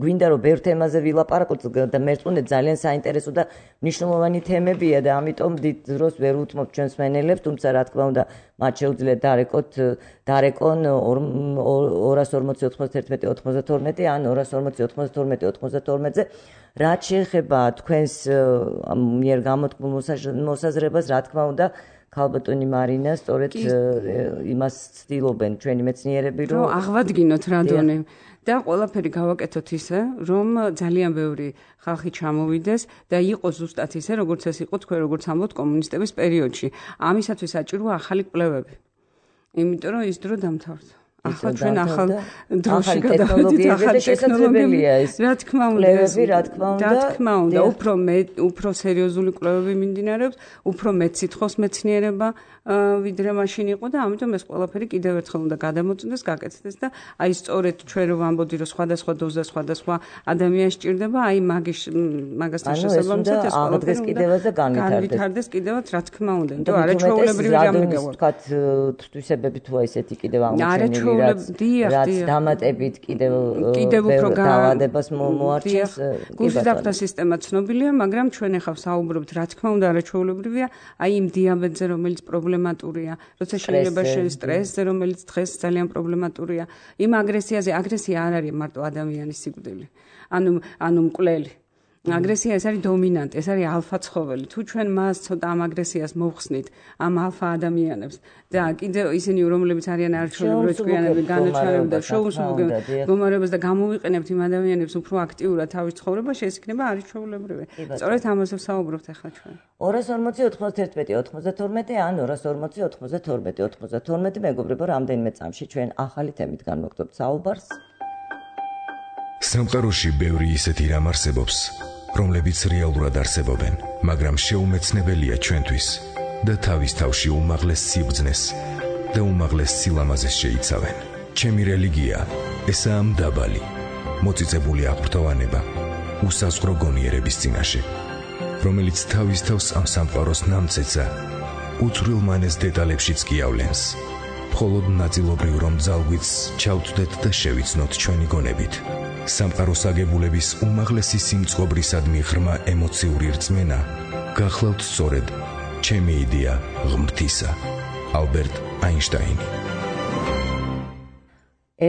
გვინდა რომ ბევრ თემაზე ვილაპარაკოთ და მერწმუნეთ ძალიან საინტერესო და მნიშვნელოვანი თემებია და ამიტომ დიდ დროს ვერ უთმობ ჩვენს მენელებს, თუმცა რა თქმა უნდა მათ შეუძლიათ დარეკოთ დარეკონ ორას ორმოცი ოთხმოცდაერთმეტი ოცდათორმეტი ან ორას ორმოცი ოთხმოცდათორმეტი ოცდათორმეტზე. რაც შეეხება თქვენს მიერ გამოთქმულ მოსაზრებას, რა თქმა უნდა ქალბატონი მარინა სწორედ იმას ცდილობენ ჩვენი მეცნიერები, რომ აღვადგინოთ რადონი და ყველაფერი გავაკეთოთ ისე, რომ ძალიან ბევრი ხალხი ჩამოვიდეს და იყოს ზუსტად ისე, როგორც ეს იყო თქვენ როგორც ამბობთ კომუნისტების პერიოდში. ამისათვის საჭიროა ახალი კვლევები. იმიტომ რომ ის დრო დამთავრდა. ახლა ჩვენ ახალ დროში გადავიდით, ახალი ტექნოლოგიებია ეს. რა თქმა უნდა, რა თქმა უნდა, რა თქმა უნდა, უფრო უფრო სერიოზული კვლევები მიმდინარეობს, უფრო მეტ სითხოს მეცნიერება ვიდრე მაშინ იყო და ამიტომ ეს ყველაფერი კიდევ ერთხელ უნდა გადამოწმდეს, გაკეთდეს და აი სწორედ ჩვენ რომ ვამბობდი, რომ სხვადასხვა დოზა სხვადასხვა ადამიანს სჭირდება, აი მაგის მაგასთან შესაბამისად ეს ყველაფერი კიდევაც და განვითარდეს კიდევაც, რა თქმა უნდა, იმიტომ არაჩვეულებრივი რამე გავარ. ვთქვათ, თვისებები თუ ისეთი კიდევ აღმოჩენილი რაც დამატებით კიდევ კიდევ უფრო დაავადებას მოარჩენს. გულშემატკივრის სისტემა ცნობილია, მაგრამ ჩვენ ახლა საუბრობთ, რა თქმა უნდა, არაჩვეულებრივია, აი იმ დიაბეტზე, რომელიც პრობლემატურია, როცა შეიძლება სტრესზე, რომელიც დღეს ძალიან პრობლემატურია, იმ აგრესიაზე, აგრესია არ არის მარტო ადამიანის სიკვდილი, ანუ ანუ მკვლელი. აგრესია ეს არის დომინანტი, ეს არის ალფა ცხოველი. თუ ჩვენ მას ცოტა ამ აგრესიას მოვხსნით, ამ ალფა ადამიანებს და კიდევ ისინი, რომლებიც არიან არჩეულებრივი ჭკვიანები, განაჩარებენ და შოუს მდგომარეობას და გამოვიყენებთ იმ ადამიანებს უფრო აქტიურად თავის ცხოვრებაში, ეს იქნება არჩეულებრივი. სწორედ ამაზე ვსაუბრობთ ახლა ჩვენ. ორას ორმოცი ოთხმოცდაერთმეტი ოცდათორმეტი ან ორას ორმოცი ოთხმოცდათორმეტი ოცდათორმეტი მეგობრებო, რამდენიმე წამში ჩვენ ახალი თემით განვაგრძობთ საუბარს. სამყაროში ბევრი ისეთი რამ არსებობს, რომლებიც რეალურად არსებობენ, მაგრამ შეუმეცნებელია ჩვენთვის და თავის თავში უმაღლეს სიბრძნეს და უმაღლეს სილამაზეს შეიცავენ. ჩემი რელიგია ესაა მდაბალი, მოწიწებული აღფრთოვანება, უსაზღვრო გონიერების წინაშე, რომელიც თავის თავს ამ სამყაროს ნამცეცა უცვლელ მანეს დეტალებშიც გიავლენს. მხოლოდ ნაწილობრივ რომ ძალგვიც ჩავწვდეთ და შევიცნოთ ჩვენი გონებით. სამყაროს აგებულების უმაღლესი სიმწყობრისადმი ღრმა ემოციური რწმენა გახლავთ სწორედ ჩემი იდეა ღმრთისა. ალბერტ აინშტაინი.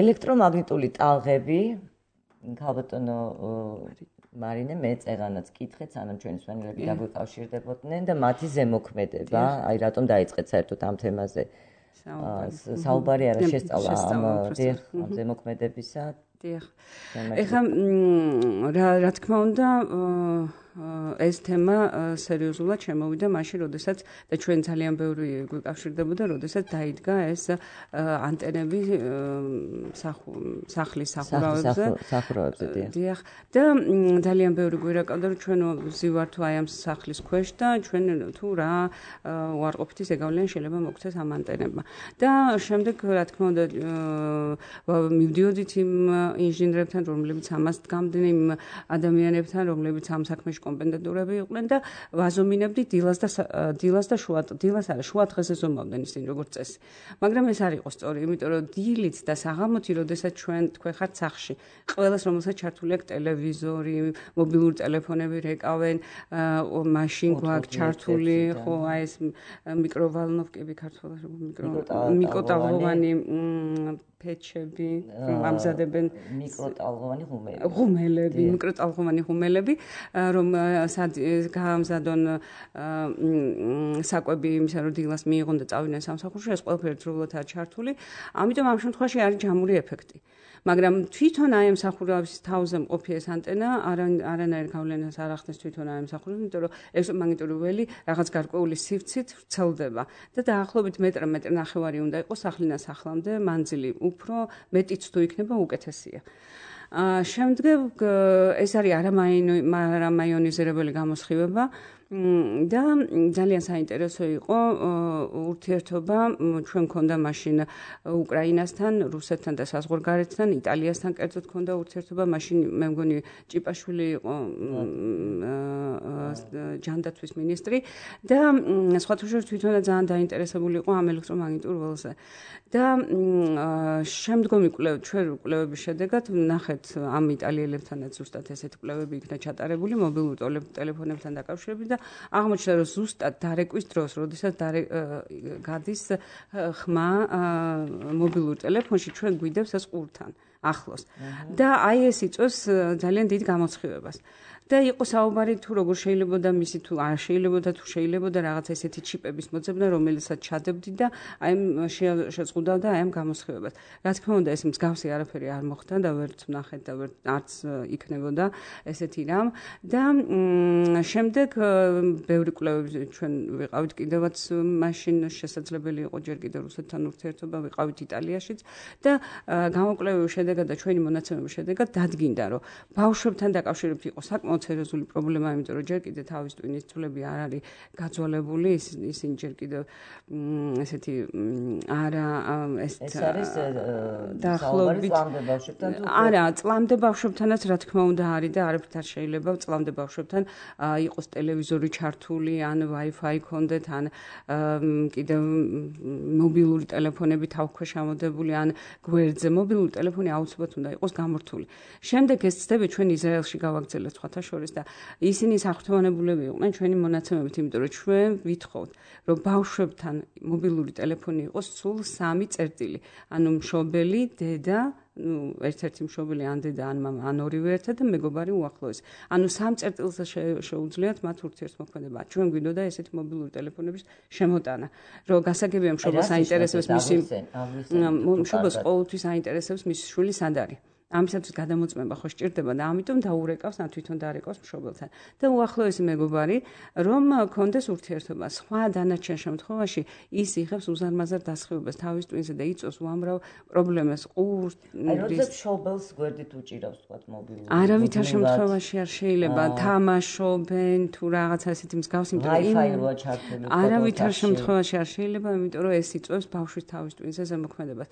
ელექტრომაგნიტური ტალღები, ქალბატონო მარინე, მე წერანაც კითხეთ, სანამ ჩვენი სვანილები დაგვიკავშირდებოდნენ და მათი ზემოქმედება, აი რატომ დაიწყეთ საერთოდ ამ თემაზე საუბარი არა შესწავლა ამ ზემოქმედებისა. დიახ. ეხლა რა რა თქმა უნდა ეს თემა სერიოზულად შემოვიდა მაშინ, როდესაც და ჩვენ ძალიან ბევრი გვიკავშირდებოდა, როდესაც დაიდგა ეს ანტენები სახლის სახურავებზე. სახურავებზე, დიახ. და ძალიან ბევრი გვირაკავდა, რომ ჩვენ ვზივართ აი ამ სახლის ქვეშ და ჩვენ თუ რა უარყოფითი ზეგავლენი შეიძლება მოგვცეს ამ ანტენებმა. და შემდეგ, რა თქმა უნდა, მივდიოდით იმ ინჟინერებთან, რომლებიც ამას დგამდნენ, იმ ადამიანებთან, რომლებიც ამ საქმეში კომპეტენტურები იყვნენ და ვაზომინებდი დილას და დილას და შუა დილას არა შუა დღეზე ზომავდნენ ისინი როგორც წესი. მაგრამ ეს არ იყო სწორი, იმიტომ რომ დილით და საღამოთი, როდესაც ჩვენ თქვენ ხართ სახლში, ყველას რომელსაც ჩართული აქვს ტელევიზორი, მობილური ტელეფონები რეკავენ, მაშინ გვაქვს ჩართული, ხო, აი ეს მიკროვალნოვკები ქართულად მიკროტალღოვანი ფეჩები, ამზადებენ მიკროტალღოვანი ღუმელები. ღუმელები, მიკროტალღოვანი ღუმელები, რომ გაამზადონ საკვები იმისა, რომ დილას მიიღონ და წავიდნენ სამსახურში, ეს ყველაფერი ერთდროულადაა ჩართული. ამიტომ ამ შემთხვევაში არის ჯამური ეფექტი. მაგრამ თვითონ აი ამ სახურავის თავზე მყოფი ეს ანტენა არანაირ გავლენას არ ახდენს თვითონ აი ამ სახურავს, იმიტომ რომ ელექტრომაგნიტური ველი რაღაც გარკვეული სივრცით ვრცელდება და დაახლოებით მეტრ მეტр ნახევარი უნდა იყოს სახლიდან სახლამდე მანძილი, უფრო მეტიც თუ იქნება უკეთესია. შემდეგ ეს არის არამაიონიზირებელი გამოსხივება და ძალიან საინტერესო იყო ურთიერთობა ჩვენ მქონდა მაშინ უკრაინასთან, რუსეთთან და საზღვარგარეთთან, იტალიასთან კერძოდ მქონდა ურთიერთობა, მაშინ მე მგონი ჭიპაშვილი იყო ჯანდაცვის მინისტრი და სხვათა შორის თვითონაც ძალიან დაინტერესებული იყო ამ ელექტრომაგნიტურ ველზე. და შემდგომი კვლევები, ჩვენ კვლევების შედეგად ნახეთ ამ იტალიელებთანაც ზუსტად ესეთი კვლევები იქნა ჩატარებული მობილურ ტელეფონებთან დაკავშირებით და აღმოჩნდა, რომ ზუსტად დარეკვის დროს, როდესაც გადის ხმა მობილურ ტელეფონში, ჩვენ გვიდევს ეს ყურთან ახლოს. და აი ეს იწვევს ძალიან დიდ გამოსხივებას. და იყო საუბარი თუ როგორ შეიძლება და მისი თუ არ შეიძლება და თუ შეიძლება და რაღაც ესეთი ჩიპების მოძებნა, რომელიცაც ჩადებდი და აი შეწყუდავდა აი ამ გამოსხივებას. რა თქმა უნდა, ეს მსგავსი არაფერი არ მოხდა და ვერც ვნახეთ და ვერც არც იქნებოდა ესეთი რამ და შემდეგ ბევრი კვლევები ჩვენ ვიყავით კიდევაც მაშინ შესაძლებელი იყო ჯერ კიდევ რუსეთთან ურთიერთობა, ვიყავით იტალიაშიც და გამოკვლევების შედეგად და ჩვენი მონაცემების შედეგად დადგინდა, რომ ბავშვებთან დაკავშირებით იყო საკმაოდ სერიოზული პრობლემა, იმიტომ რომ ჯერ კიდევ თავის ტვინის ცვლები არ არის გაძვალებული, ისინი ჯერ კიდევ ესეთი არა ეს არის დაახლოებით წლამდე ბავშვებთან თუ არა, წლამდე ბავშვებთანაც რა თქმა უნდა არის და არაფრით არ შეიძლება წლამდე ბავშვებთან იყოს ტელევიზორი ჩართული, ან Wi-Fi ქონდეთ, ან კიდევ მობილური ტელეფონები თავქვეშ ამოდებული, ან გვერდზე მობილური ტელეფონი აუცილებლად უნდა იყოს გამორთული. შემდეგ ეს ცდები ჩვენ ისრაელში გავაგრძელებთ სხვათა შორის და ისინი საერთაშორისო იყვნენ ჩვენი მონაცემებით, იმიტომ რომ ჩვენ ვითხოვთ, რომ ბავშვებთან მობილური ტელეფონი იყოს სულ სამი წერტილი, ანუ მშობელი, დედა, ну, ერთ-ერთი მშობელი ან დედა ან მამა ან ორივე ერთად და მეგობარი უახლოესი. ანუ სამ წერტილზე შეუძლიათ მათ ურთიერთმოქმედება. ჩვენ გვინდოდა ესეთი მობილური ტელეფონების შემოტანა, რომ გასაგებია მშობელს აინტერესებს მისი მშობელს ყოველთვის აინტერესებს მისი შვილი სად არის. ამისათვის გადამოწმება ხო სჭირდება და ამიტომ დაურეკავს, ან თვითონ დაარეკავს მშობელთან. და უახლოესი მეგობარი, რომ კონდეს ურთიერთობა. სხვა დანარჩენ შემთხვევაში ის იღებს უზარმაზარ დასხივებას თავის ტვინზე და იწვევს უამრავ პრობლემას. ყურს, აი როდესაც მშობელს გვერდით უჭირავს თქვა მობილური. არავითარ შემთხვევაში არ შეიძლება თამაშობენ თუ რაღაცა ესეთი მსგავსი, იმიტომ რომ Wi-Fi როა ჩართული. არავითარ შემთხვევაში არ შეიძლება, იმიტომ რომ ეს იწვევს ბავშვის თავის ტვინზე ზემოქმედებას.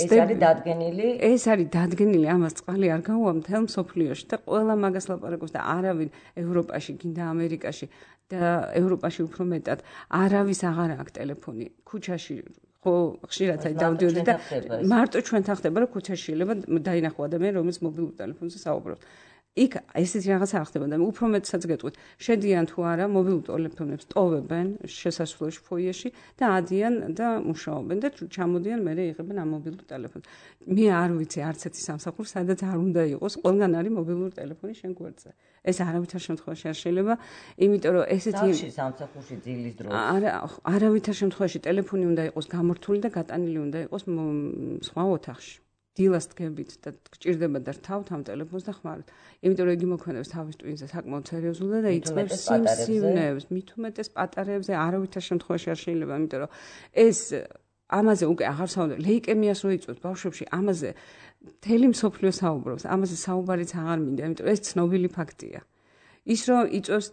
ეს არის დადგენილი? ეს არის დადგენილი, ამას წყალი არ გაუვა მთელ მსოფლიოში და ყველა მაგას ლაპარაკობს და არავინ ევროპაში, გინდა ამერიკაში და ევროპაში უფრო მეტად არავის აღარ აქვს ტელეფონი. ქუჩაში ხო ხშირად აი დავდიოდი და მარტო ჩვენთან ხდება, რომ ქუჩაში შეიძლება დაინახო ადამიანი, რომელიც მობილურ ტელეფონზე საუბრობს. იქ ესეთი რაღაცა არ ხდება და უფრო მეტსაც გეტყვით, შედიან თუ არა მობილურ ტელეფონებს ტოვებენ შესასვლელში ფოიეში და ადიან და მუშაობენ და ჩამოდიან მერე იღებენ ამ მობილურ ტელეფონს. მე არ ვიცი არც ერთი სამსახური, სადაც არ უნდა იყოს, ყველგან არის მობილური ტელეფონი შენ გვერდზე. ეს არავითარ შემთხვევაში არ შეიძლება, იმიტომ რომ ესეთი სამსახურში ძილის დროს არა, არავითარ შემთხვევაში ტელეფონი უნდა იყოს გამორთული და გატანილი უნდა იყოს სხვა ოთახში. დილას დგებით და გჭირდება და რთავთ ამ ტელეფონს და ხმარობთ. იმიტომ რომ იგი მოქმედებს თავის ტვინზე საკმაოდ სერიოზულად და იწყებს სიმსივნეებს, მით უმეტეს პატარებზე, არავითარ შემთხვევაში არ შეიძლება, იმიტომ რომ ეს ამაზე უკვე აღარ საუბრობთ. ლეიკემიას რო იწვევთ ბავშვებში, ამაზე მთელი მსოფლიო საუბრობს, ამაზე საუბარიც აღარ მინდა, იმიტომ რომ ეს ცნობილი ფაქტია. ის რომ იწვევს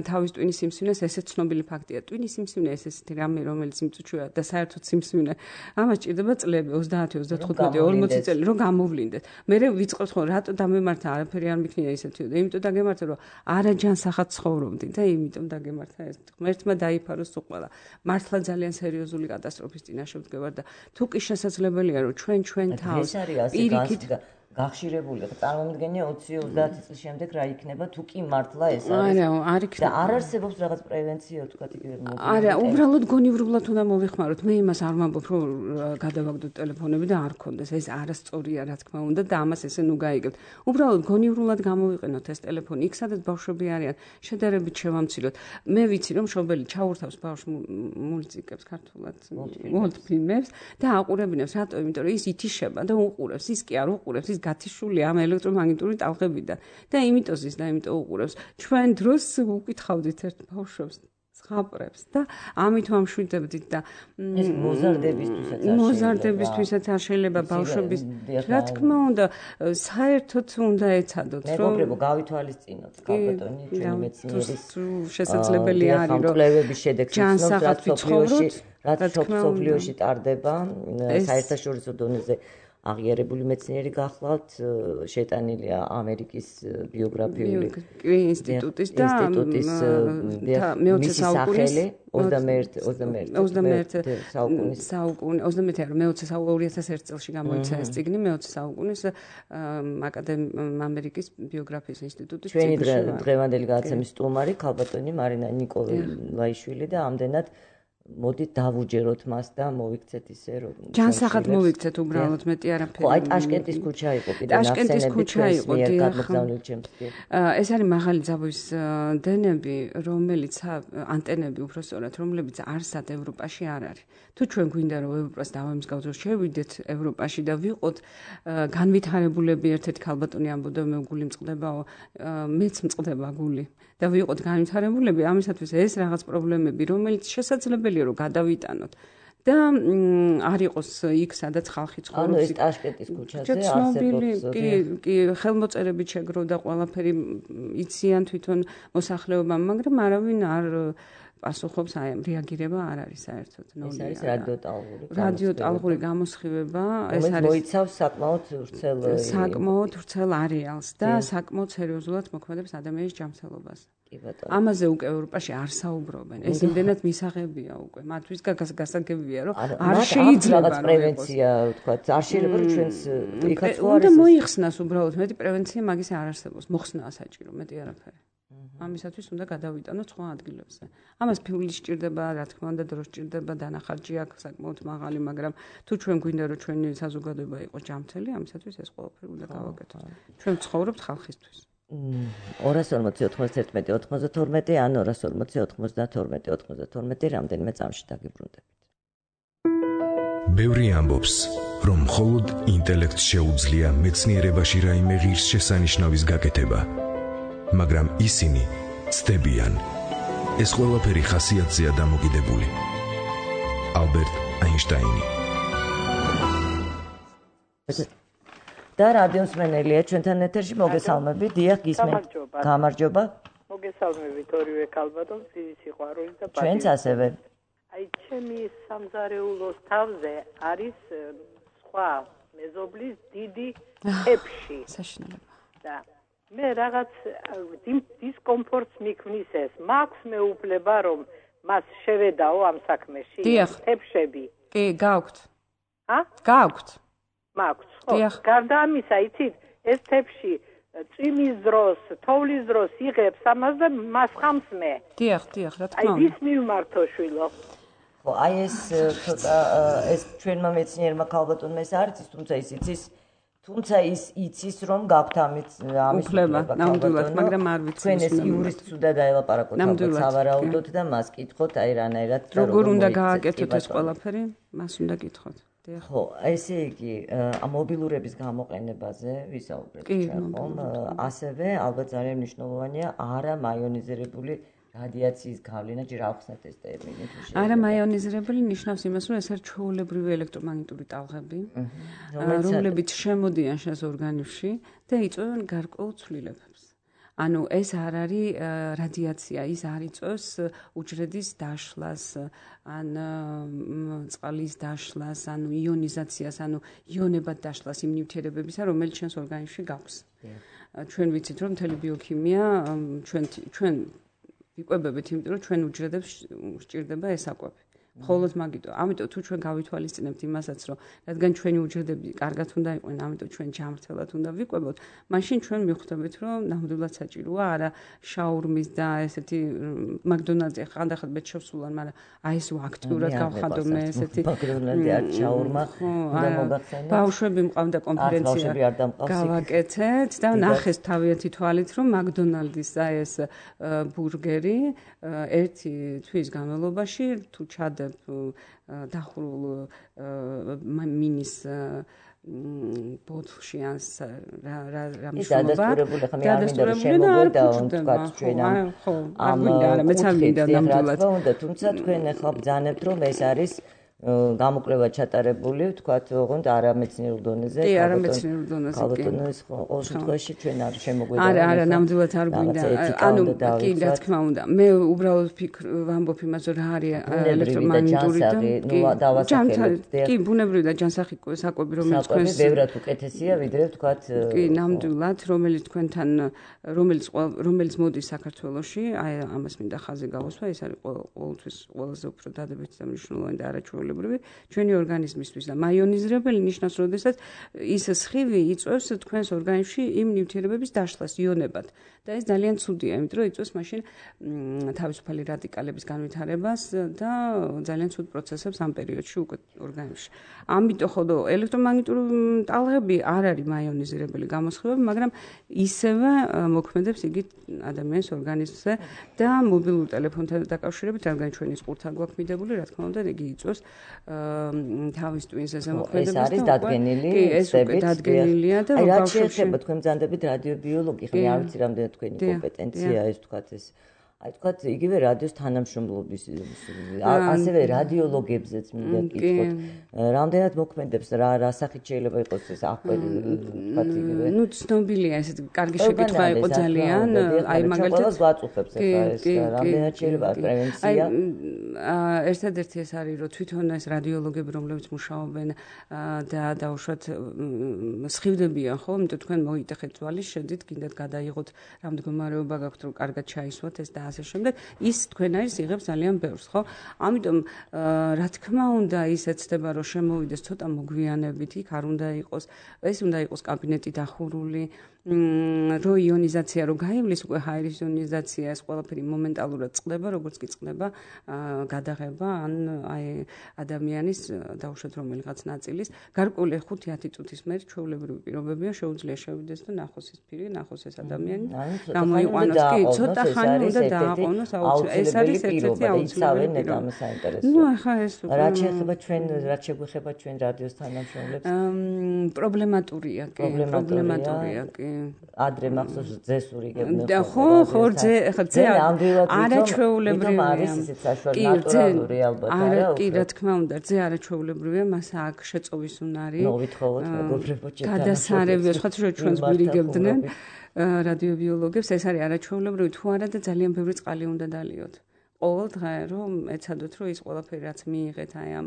თავის ტვინის სიმსივნეს, ესეც ცნობილი ფაქტია. ტვინის სიმსივნე ეს ესეთი რამე, რომელიც იმწუჩვია და საერთოდ სიმსივნე. ამას ჭირდება წლები, ოცდაათი, ოცდათხუთმეტი, ორმოცი წელი, რომ გამოვლინდეთ. მე ვიწყებთ ხო, რატო დამემართა, არაფერი არ მიქნია ისეთი და იმიტომ დაგემართა, რომ არაჯანსაღად ცხოვრობდი და იმიტომ დაგემართა ეს. ღმერთმა დაიფაროს თუ ყველა. მართლა ძალიან სერიოზული კატასტროფის წინაშე ვდგებარ და თუ კი შესაძლებელია, რომ ჩვენ ჩვენ თავს პირიქით გახშირებული, წარმომიდგენია ოცი ოცდაათი წლის შემდეგ რა იქნება, თუ კი მართლა ეს არის. არა, არ იქნება. და არ არსებობს რაღაც პრევენცია, თქვა იგივე მოგვიგებთ. არა, უბრალოდ გონივრულად უნდა მოვიხმაროთ. მე იმას არ ვამბობ, რომ გადავაგდოთ ტელეფონები და არ გქონდეს. ეს არასწორია, რა თქმა უნდა, და ამას ესე ნუ გაიგებთ. უბრალოდ გონივრულად გამოვიყენოთ ეს ტელეფონი. იქ სადაც ბავშვები არიან, შედარებით შევამციროთ. მე ვიცი, რომ მშობელი ჩაურთავს ბავშვს მულტიკებს ქართულად, მულტფილმებს და აყურებინებს, რატო? იმიტომ რომ ის ითიშება და უყურებს, ის კი არ უყურებს, ის გათიშულია ამ ელექტრომაგნიტური ტალღებიდან და იმიტომ ის და იმიტომ უყურებს. ჩვენ დროს უკითხავდით ერთ ბავშვებს ზღაპრებს და ამით ვამშვიდებდით და ეს მოზარდებისთვისაც არ მოზარდებისთვისაც არ შეიძლება ბავშვების რა თქმა უნდა საერთოდ უნდა ეცადოთ რომ მეგობრებო გავითვალისწინოთ კალბატონი ჩვენი მეცნიერის შესაძლებელი არის რომ კვლევების შედეგს ჯანსაღად ვიცხოვროთ რაც სოფლიოში ტარდება საერთაშორისო დონეზე აღიარებული მეცნიერი გახლავთ შეტანილია ამერიკის ბიოგრაფიული ინსტიტუტის და მეოცე საუკუნის ოცდამეერთე საუკუნის საუკუნე ოცდამეერთე არა მეოცე საუკუნის ორი ათას ერთი წელს გამოიცა ეს წიგნი მეოცე საუკუნის ამერიკის ბიოგრაფიის ინსტიტუტის ჩვენი დღევანდელი გადაცემის სტუმარი ქალბატონი მარინა ნიკოლაიშვილი და ამდენად მოდით დავუჯეროთ მას და მოვიქცეთ ისე რომ ჯანსაღად მოვიქცეთ უბრალოდ მეტი არაფერი. ხო, აი ტაშკენტის ქუჩა იყო კიდე ტაშკენტის ქუჩა იყო დიახ. ეს არის მაღალი ძაბვის დენები, რომელიც ანტენები უბრალოდ რომლებიც არსად ევროპაში არ არის. თუ ჩვენ გვინდა რომ ევროპას დავამსგავსოთ, შევიდეთ ევროპაში და ვიყოთ განვითარებულები ერთ-ერთი ქალბატონი ამბობდა მე გული მწყდებაო, მეც მწყდება გული. და ვიყოთ განვითარებულები, ამისათვის ეს რაღაც პრობლემები, რომელიც შესაძლებელია რომ გადავიტანოთ. და არ იყოს იქ სადაც ხალხი ცხოვრობს. ანუ ეს ტაშკენტის ქუჩაზე არსებობს. კი, კი, ხელმოწერებით შეგროვდა ყველაფერი იციან თვითონ მოსახლეობამ, მაგრამ არავინ არ პასუხობს აი რეაგირება არ არის საერთოდ. ეს არის რადიოტალღური. რადიოტალღური გამოსხივება, ეს არის მოიცავს საკმაოდ ვრცელ საკმაოდ ვრცელ არეალს და საკმაოდ სერიოზულად მოქმედებს ადამიანის ჯანმრთელობას. კი ბატონო. ამაზე უკვე ევროპაში არ საუბრობენ. ეს იმდენად მისაღებია უკვე. მათთვის გასაგებია, რომ არ შეიძლება რაღაც პრევენცია, თქვა, არ შეიძლება რომ ჩვენს იქაც ხო არის. უნდა მოიხსნას უბრალოდ მეტი პრევენცია მაგის არ არსებობს. მოხსნაა საჭირო, მეტი არაფერი. ამისათვის უნდა გადავიტანოთ სხვა ადგილებზე. ამას ფული სჭირდება, რა თქმა უნდა, დრო სჭირდება, დანახარჯი აქვს საკმაოდ მაღალი, მაგრამ თუ ჩვენ გვინდა რომ ჩვენი საზოგადოება იყოს ჯანმრთელი, ამისათვის ეს ყველაფერი უნდა გავაკეთოთ. ჩვენ ცხოვრობთ ხალხისთვის. ორას ორმოცი ოთხმოცდაერთმეტი ოთხმოცდათორმეტი ან ორას ორმოცი ოთხმოცდათორმეტი ოთხმოცდათორმეტი რამდენიმე წამში დაგიბრუნდებით. ბევრი ამბობს, რომ მხოლოდ ინტელექტს შეუძლია მეცნიერებაში რაიმე ღირსშესანიშნავის გაკეთება. მაგრამ ისინი ცდებიან, ეს ყველაფერი ხასიათზეა დამოკიდებული. ალბერტ აინშტაინი. და რადიოსმენელია ჩვენთან ეთერში მოგესალმებით. დიახ, გისმენთ. გამარჯობა. მოგესალმებით ორივე ქალბატონს, დიდი სიყვარულით და პატივით. ჩვენც ასევე. აი, ჩემი სამზარეულოს თავზე არის სხვა მეზობლის დიდი თეფში. საშინელება. და მე რაღაც დისკომფორტს მიქმნის ეს. მაქვს მეუფლება რომ მას შევედაო ამ საქმეში. თეფშები. კი, გაქვთ. ა? გაქვთ. მაქვს. ხო. გარდა ამისა, იცით, ეს თეფში წვიმის დროს, თოვლის დროს იღებს ამას და მას ხამს მე. დიახ, დიახ, რა თქმა უნდა. აი, ის მივმართო შვილო. ხო, აი ეს ცოტა ეს ჩვენმა მეცნიერმა ქალბატონმა ეს არ იცის, თუმცა ის იცის თუმცა ის იცის რომ გაქვთ ამის ამის უფლება, ნამდვილად, მაგრამ არ ვიცი. ჩვენ ეს იურისტს უნდა დაელაპარაკოთ ალბათ სავარაუდოდ და მას კითხოთ აი რანაირად როგორ უნდა გააკეთოთ ეს ყველაფერი, მას უნდა კითხოთ. ხო, ესე იგი, მობილურების გამოყენებაზე ვისაუბრეთ ჩვენ ხომ, ასევე ალბათ ძალიან მნიშვნელოვანია არა მაიონიზირებული რადიაციის გავლენა, ჯერ ავხსნათ ეს ტერმინი. არა მაიონიზირებული ნიშნავს იმას, რომ ეს არის ჩვეულებრივი ელექტრომაგნიტური ტალღები, რომლებიც შემოდიან შენს ორგანიზმში და იწვევენ გარკვეულ ცვლილებებს. ანუ ეს არ არის რადიაცია, ის არ იწვევს უჯრედის დაშლას, ან წყლის დაშლას, ანუ იონიზაციას, ანუ იონებად დაშლას იმ ნივთიერებებისა, რომელიც ჩვენს ორგანიზმში გაქვს. ჩვენ ვიცით, რომ მთელი ბიოქიმია ჩვენ ჩვენ ვიკვებებით, იმიტომ რომ ჩვენ უჯრედებს სჭირდება ეს საკვები. მხოლოდ მაგიტო. ამიტომ თუ ჩვენ გავითვალისწინებთ იმასაც, რომ რადგან ჩვენი უჯრედები კარგად უნდა იყვნენ, ამიტომ ჩვენ ჯანმრთელად უნდა ვიკვებოთ, მაშინ ჩვენ მიხვდებით, რომ ნამდვილად საჭიროა არა შაურმის და ესეთი მაკდონალდზე ხანდახან ბეჭდავსულან, მაგრამ აი ეს აქტიურად გავხადო მე ესეთი მაკდონალდი არ შაურმა უნდა მოგახსენო. ბავშვები მყავდა კონფერენცია გავაკეთეთ და ნახეს თავიანთი თვალით, რომ მაკდონალდის აი ეს ბურგერი ერთი თვის განმავლობაში თუ ჩადე დახურულ მინის ბოთლში ან რა მშობლობა გადასტურებული და არ მოგედა ჩვენ ამ მეც არ მინდა ნამდვილად თუმცა თქვენ ახლა ბძანებთ რომ ეს არის გამოკვლევა ჩატარებული, ვთქვათ, ოღონდ არამეცნიერულ დონეზე. კი, არამეცნიერულ დონეზე. ალბათ, ყოველ შემთხვევაში ჩვენ არ შემოგვიდა. არა, არა, ნამდვილად არ გვინდა. ანუ კი, რა თქმა უნდა. მე უბრალოდ ფიქრ ვამბობ იმას, რომ რა არის ელექტრომაგნიტური და კი, ბუნებრივი და ჯანსაღი საკვები, რომელიც თქვენს ბევრად უკეთესია, ვიდრე ვთქვათ. კი, ნამდვილად, რომელიც თქვენთან რომელიც რომელიც მოდის საქართველოში, აი ამას მინდა ხაზი გავუსვა, ეს არის ყოველთვის ყველაზე უფრო დადებითი და მნიშვნელოვანი და არაჩვეულებრივი ჩვენი ორგანიზმისთვის და მაიონიზირებელი ნიშნავს, როდესაც ის სხივი იწვევს თქვენს ორგანიზმში იმ ნივთიერებების დაშლას იონებად და ეს ძალიან ცუდია, იმიტომ რომ იწვევს მაშინ თავისუფალი რადიკალების განვითარებას და ძალიან ცუდ პროცესებს ამ პერიოდში უკვე ორგანიზმში. ამიტომ ხოლო ელექტრომაგნიტური ტალღები არ არის მაიონიზირებელი გამოსხივები, მაგრამ ისევე მოქმედებს იგი ადამიანის ორგანიზმზე და მობილურ ტელეფონთან დაკავშირებით, რადგან ჩვენი სპურთა გვაქვს მიდებული, რა თქმა უნდა, იგი იწვევს თავის ტვინს ესე მოქმედებს და ეს არის დადგენილი წებით დადგენილია და აი რა შეიძლება თქვენ ბრძანდებით რადიობიოლოგი, ხომ არ ვიცი რამდენი თქვენი კომპეტენცია ეს თქვათ ეს აი თქვათ იგივე რადიოს თანამშრომლობის ასევე რადიოლოგებზეც მინდა გითხოთ რამდენად მოქმედებს რა რა სახით შეიძლება იყოს ეს აკვერი თქვათ იგივე ნუ ცნობილია ესეთ კარგი შეკითხვა იყო ძალიან აი მაგალითად ვაწუხებს ახლა ეს რამდენად შეიძლება პრევენცია აი ერთადერთი ეს არის რომ თვითონ ეს რადიოლოგები რომლებიც მუშაობენ და დაუშვათ სხივდებიან ხო იმიტომ თქვენ მოიტეხეთ ძვალი შედით გინდათ გადაიღოთ რა მდგომარეობა გაქვთ რომ კარგად ჩაისვათ ეს და ასე შემდეგ ის თქვენ არის იღებს ძალიან ბევრს ხო ამიტომ რა თქმა უნდა ის ეცდება რომ შემოვიდეს ცოტა მოგვიანებით იქ არ უნდა იყოს ეს უნდა იყოს კაბინეტი დახურული რო იონიზაცია რო გაივლის უკვე ჰაერის იონიზაცია ეს ყველაფერი მომენტალურად წყდება როგორც კი წყდება გადაღება ან აი ადამიანის დაუშვათ რომელიღაც ნაწილის გარკვეული ხუთი ათი წუთის მერე ჩვეულებრივი პირობებია შეუძლია შევიდეს და ნახოს ის პირი ნახოს ეს ადამიანი გამოიყვანოს კი ცოტა ხანი უნდა დააყოვნოს აუცილებლად ეს არის ერთ-ერთი აუცილებელი პირობა ნუ ახლა ეს რა შეიძლება ჩვენ რა შეგვეხება ჩვენ რადიოს თანამშრომლებს პრობლემატურია კი პრობლემატურია კი ადრე მახსოვს ძესური გებნე და ხო ხო ძე ხო ძე არაჩვეულებრივია არის ისეთ საშუალო ნატურალური ალბათ არა კი რა თქმა უნდა ძე არაჩვეულებრივია მას აქ შეწოვის უნარი მოვითხოვოთ მეგობრებო გადასარევია სხვა თუ ჩვენს გვირიგებდნენ რადიობიოლოგებს ეს არის არაჩვეულებრივი თუ არა და ძალიან ბევრი წყალი უნდა დალიოთ ყოველ დღე რომ ეცადოთ რომ ის ყველაფერი რაც მიიღეთ აი ამ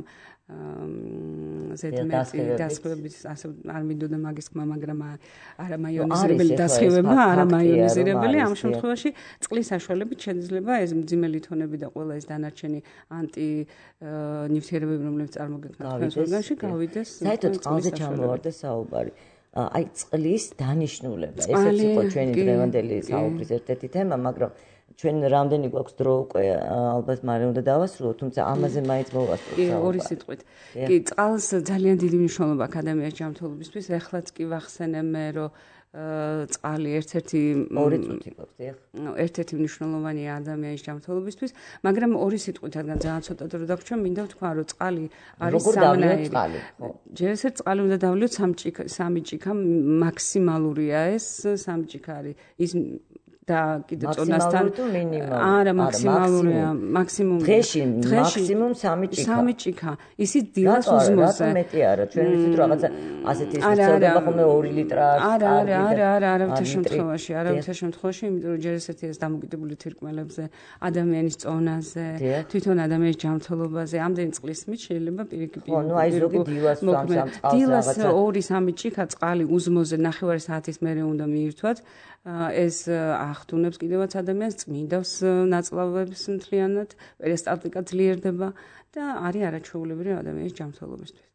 ზედმეტი დასხივების ასე არ მინდოდა მაგის ხმა მაგრამ არა მაიონიზირებელი დასხივება არა მაიონიზირებელი ამ შემთხვევაში წყლის საშუალებით შეიძლება ეს მძიმე ლითონები და ყველა ეს დანარჩენი ანტი ნივთიერებები რომლებიც წარმოგექნათ თქვენს ორგანოში გავიდეს საერთოდ წყალზე ჩამოვარდა საუბარი აი წყლის დანიშნულება ესეც იყო ჩვენი დღევანდელი საუბრის ერთ-ერთი თემა მაგრამ ჩვენ რამდენი გვაქვს დრო უკვე ალბათ მარე უნდა დავასრულოთ თუმცა ამაზე მაინც მოვასწროთ კი ორი სიტყვით კი წყალს ძალიან დიდი მნიშვნელობა აქვს ადამიანის ჯანმრთელობისთვის ეხლაც კი ვახსენე მე რომ წყალი ერთ-ერთი ორი წუთი გვაქვს, დიახ. ერთ-ერთი მნიშვნელოვანი ადამიანის ჯანმრთელობისთვის, მაგრამ ორი სიტყვით, რადგან ძალიან ცოტად რო დაგვრჩა, მინდა ვთქვა, რომ წყალი არის სამნაირი. ჯერ ესე წყალი უნდა დავლიოთ სამი ჭიქა მაქსიმალურია ეს, სამი ჭიქა არის ის და კიდე წონასთან არა მაქსიმალურია მაქსიმუმი დღეში მაქსიმუმ სამი ჭიქა სამი ჭიქა ისიც დილას უზმოზე რატო მეტი არა ჩვენ ვიცით რაღაცა ასეთი ისწავლება ხოლმე ორი ლიტრა არა არა არა არა არავითარ შემთხვევაში არავითარ შემთხვევაში იმიტომ რომ ჯერ ესეთი ეს დამოკიდებული თირკმელებზე ადამიანის წონაზე თვითონ ადამიანის ჯანმრთელობაზე ამდენი წყლის მით შეიძლება პირიქით ხო ნუ აი ზოგი დილას სამ სამ წყალს დილას ორი სამი ჭიქა წყალი უზმოზე ნახევარი საათის მერე უნდა მიირთვათ ეს ახდუნებს კიდევაც ადამიანს წმინდავს ნაწლავებს მთლიანად პერისტალტიკა ძლიერდება და არის არაჩვეულებრივი ადამიანის ჯანმრთელობისთვის.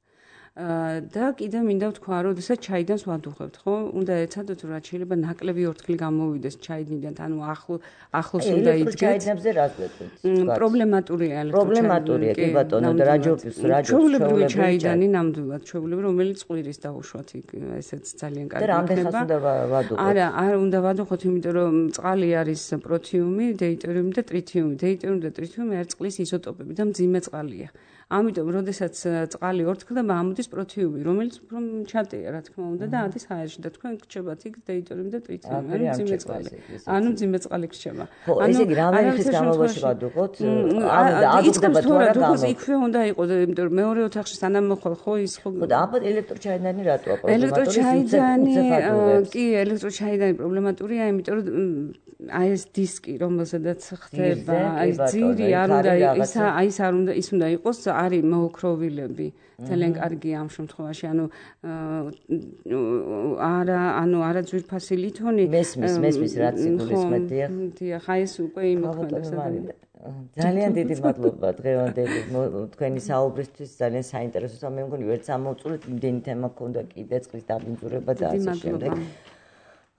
და კიდევ მინდა ვთქვა, რომ როდესაც ჩაიდანს ვადუღებთ, ხო? უნდა ეცადოთ, რომ რაც შეიძლება ნაკლები ორთქლი გამოვიდეს ჩაიდნიდან, ანუ ახლო ახლოს უნდა იდგეთ. ჩაიდნებზე რა გვეთქვით? პრობლემატურია ელექტროჩაიდანი. პრობლემატურია, კი ბატონო, და რაჯობს, რაჯობს. ჩვეულებრივი ჩაიდანი ნამდვილად, ჩვეულებრივი, რომელიც ყვირის დაუშვათ იქ, ესეც ძალიან კარგი იქნება. და რამდენს უნდა ვადუღოთ? არა, არ უნდა ვადუღოთ, იმიტომ რომ წყალი არის პროთიუმი, დეიტორიუმი და ტრიტიუმი. დეიტორიუმი და ტრიტიუმი არის წყლის იზოტოპები და მძიმე წყალია. ამიტომ, როდესაც წყალი ორთქლდება, ამოდის პროთიუმი, რომელიც უფრო ჩატია, რა თქმა უნდა, და ადის ჰაერში და თქვენ გრჩებათ იქ დეიტორიუმი და ტრიტიუმი, ანუ მძიმე წყალი. ანუ მძიმე წყალი გრჩება. ანუ ესე იგი, რამდენი ხნის განმავლობაში ვადუღოთ? ანუ ადუღდება თუ არა დუღოს იქვე უნდა იყოს, იმიტომ რომ მეორე ოთახში სანამ მოხვალ ხო ის ხო. და აბა ელექტროჩაიდანი რატოა პრობლემატური? ელექტროჩაიდანი კი, ელექტროჩაიდანი პრობლემატურია, იმიტომ რომ აი ეს დისკი, რომელზედაც ხდება, აი ძირი არ უნდა ის აი ეს არ უნდა ის უნდა იყოს არის მოოქროვილები. ძალიან კარგია ამ შემთხვევაში, ანუ არა, ანუ არა ძვირფასი ლითონი. მესმის, მესმის რაც სიგულისმეთ, დიახ. დიახ, აი ეს უკვე იმოქმედებს. ძალიან დიდი მადლობა დღევანდელი თქვენი საუბრისთვის, ძალიან საინტერესოა. მე მგონი ვერც ამოვწურეთ, იმდენი თემა გქონდა კიდე წყლის დაბინძურება და ასე შემდეგ.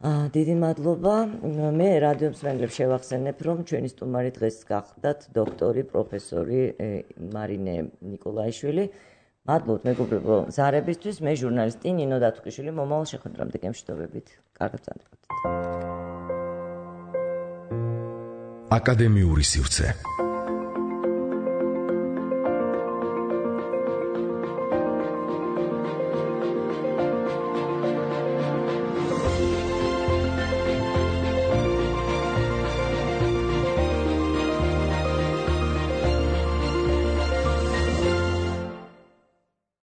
აა დიდი მადლობა. მე რადიო მსმენელებს შევახსენებ, რომ ჩვენი სტუმარი დღეს გახდათ დოქტორი, პროფესორი მარინე ნიკოლაიშვილი. მადლობთ მეგობრებო ზარებისთვის. მე ჟურნალისტი ნინო დათუკიშვილი. მომავალ შეხვედრამდე გემშვიდობებით. კარგად წამდგართ. აკადემიური სივრცე.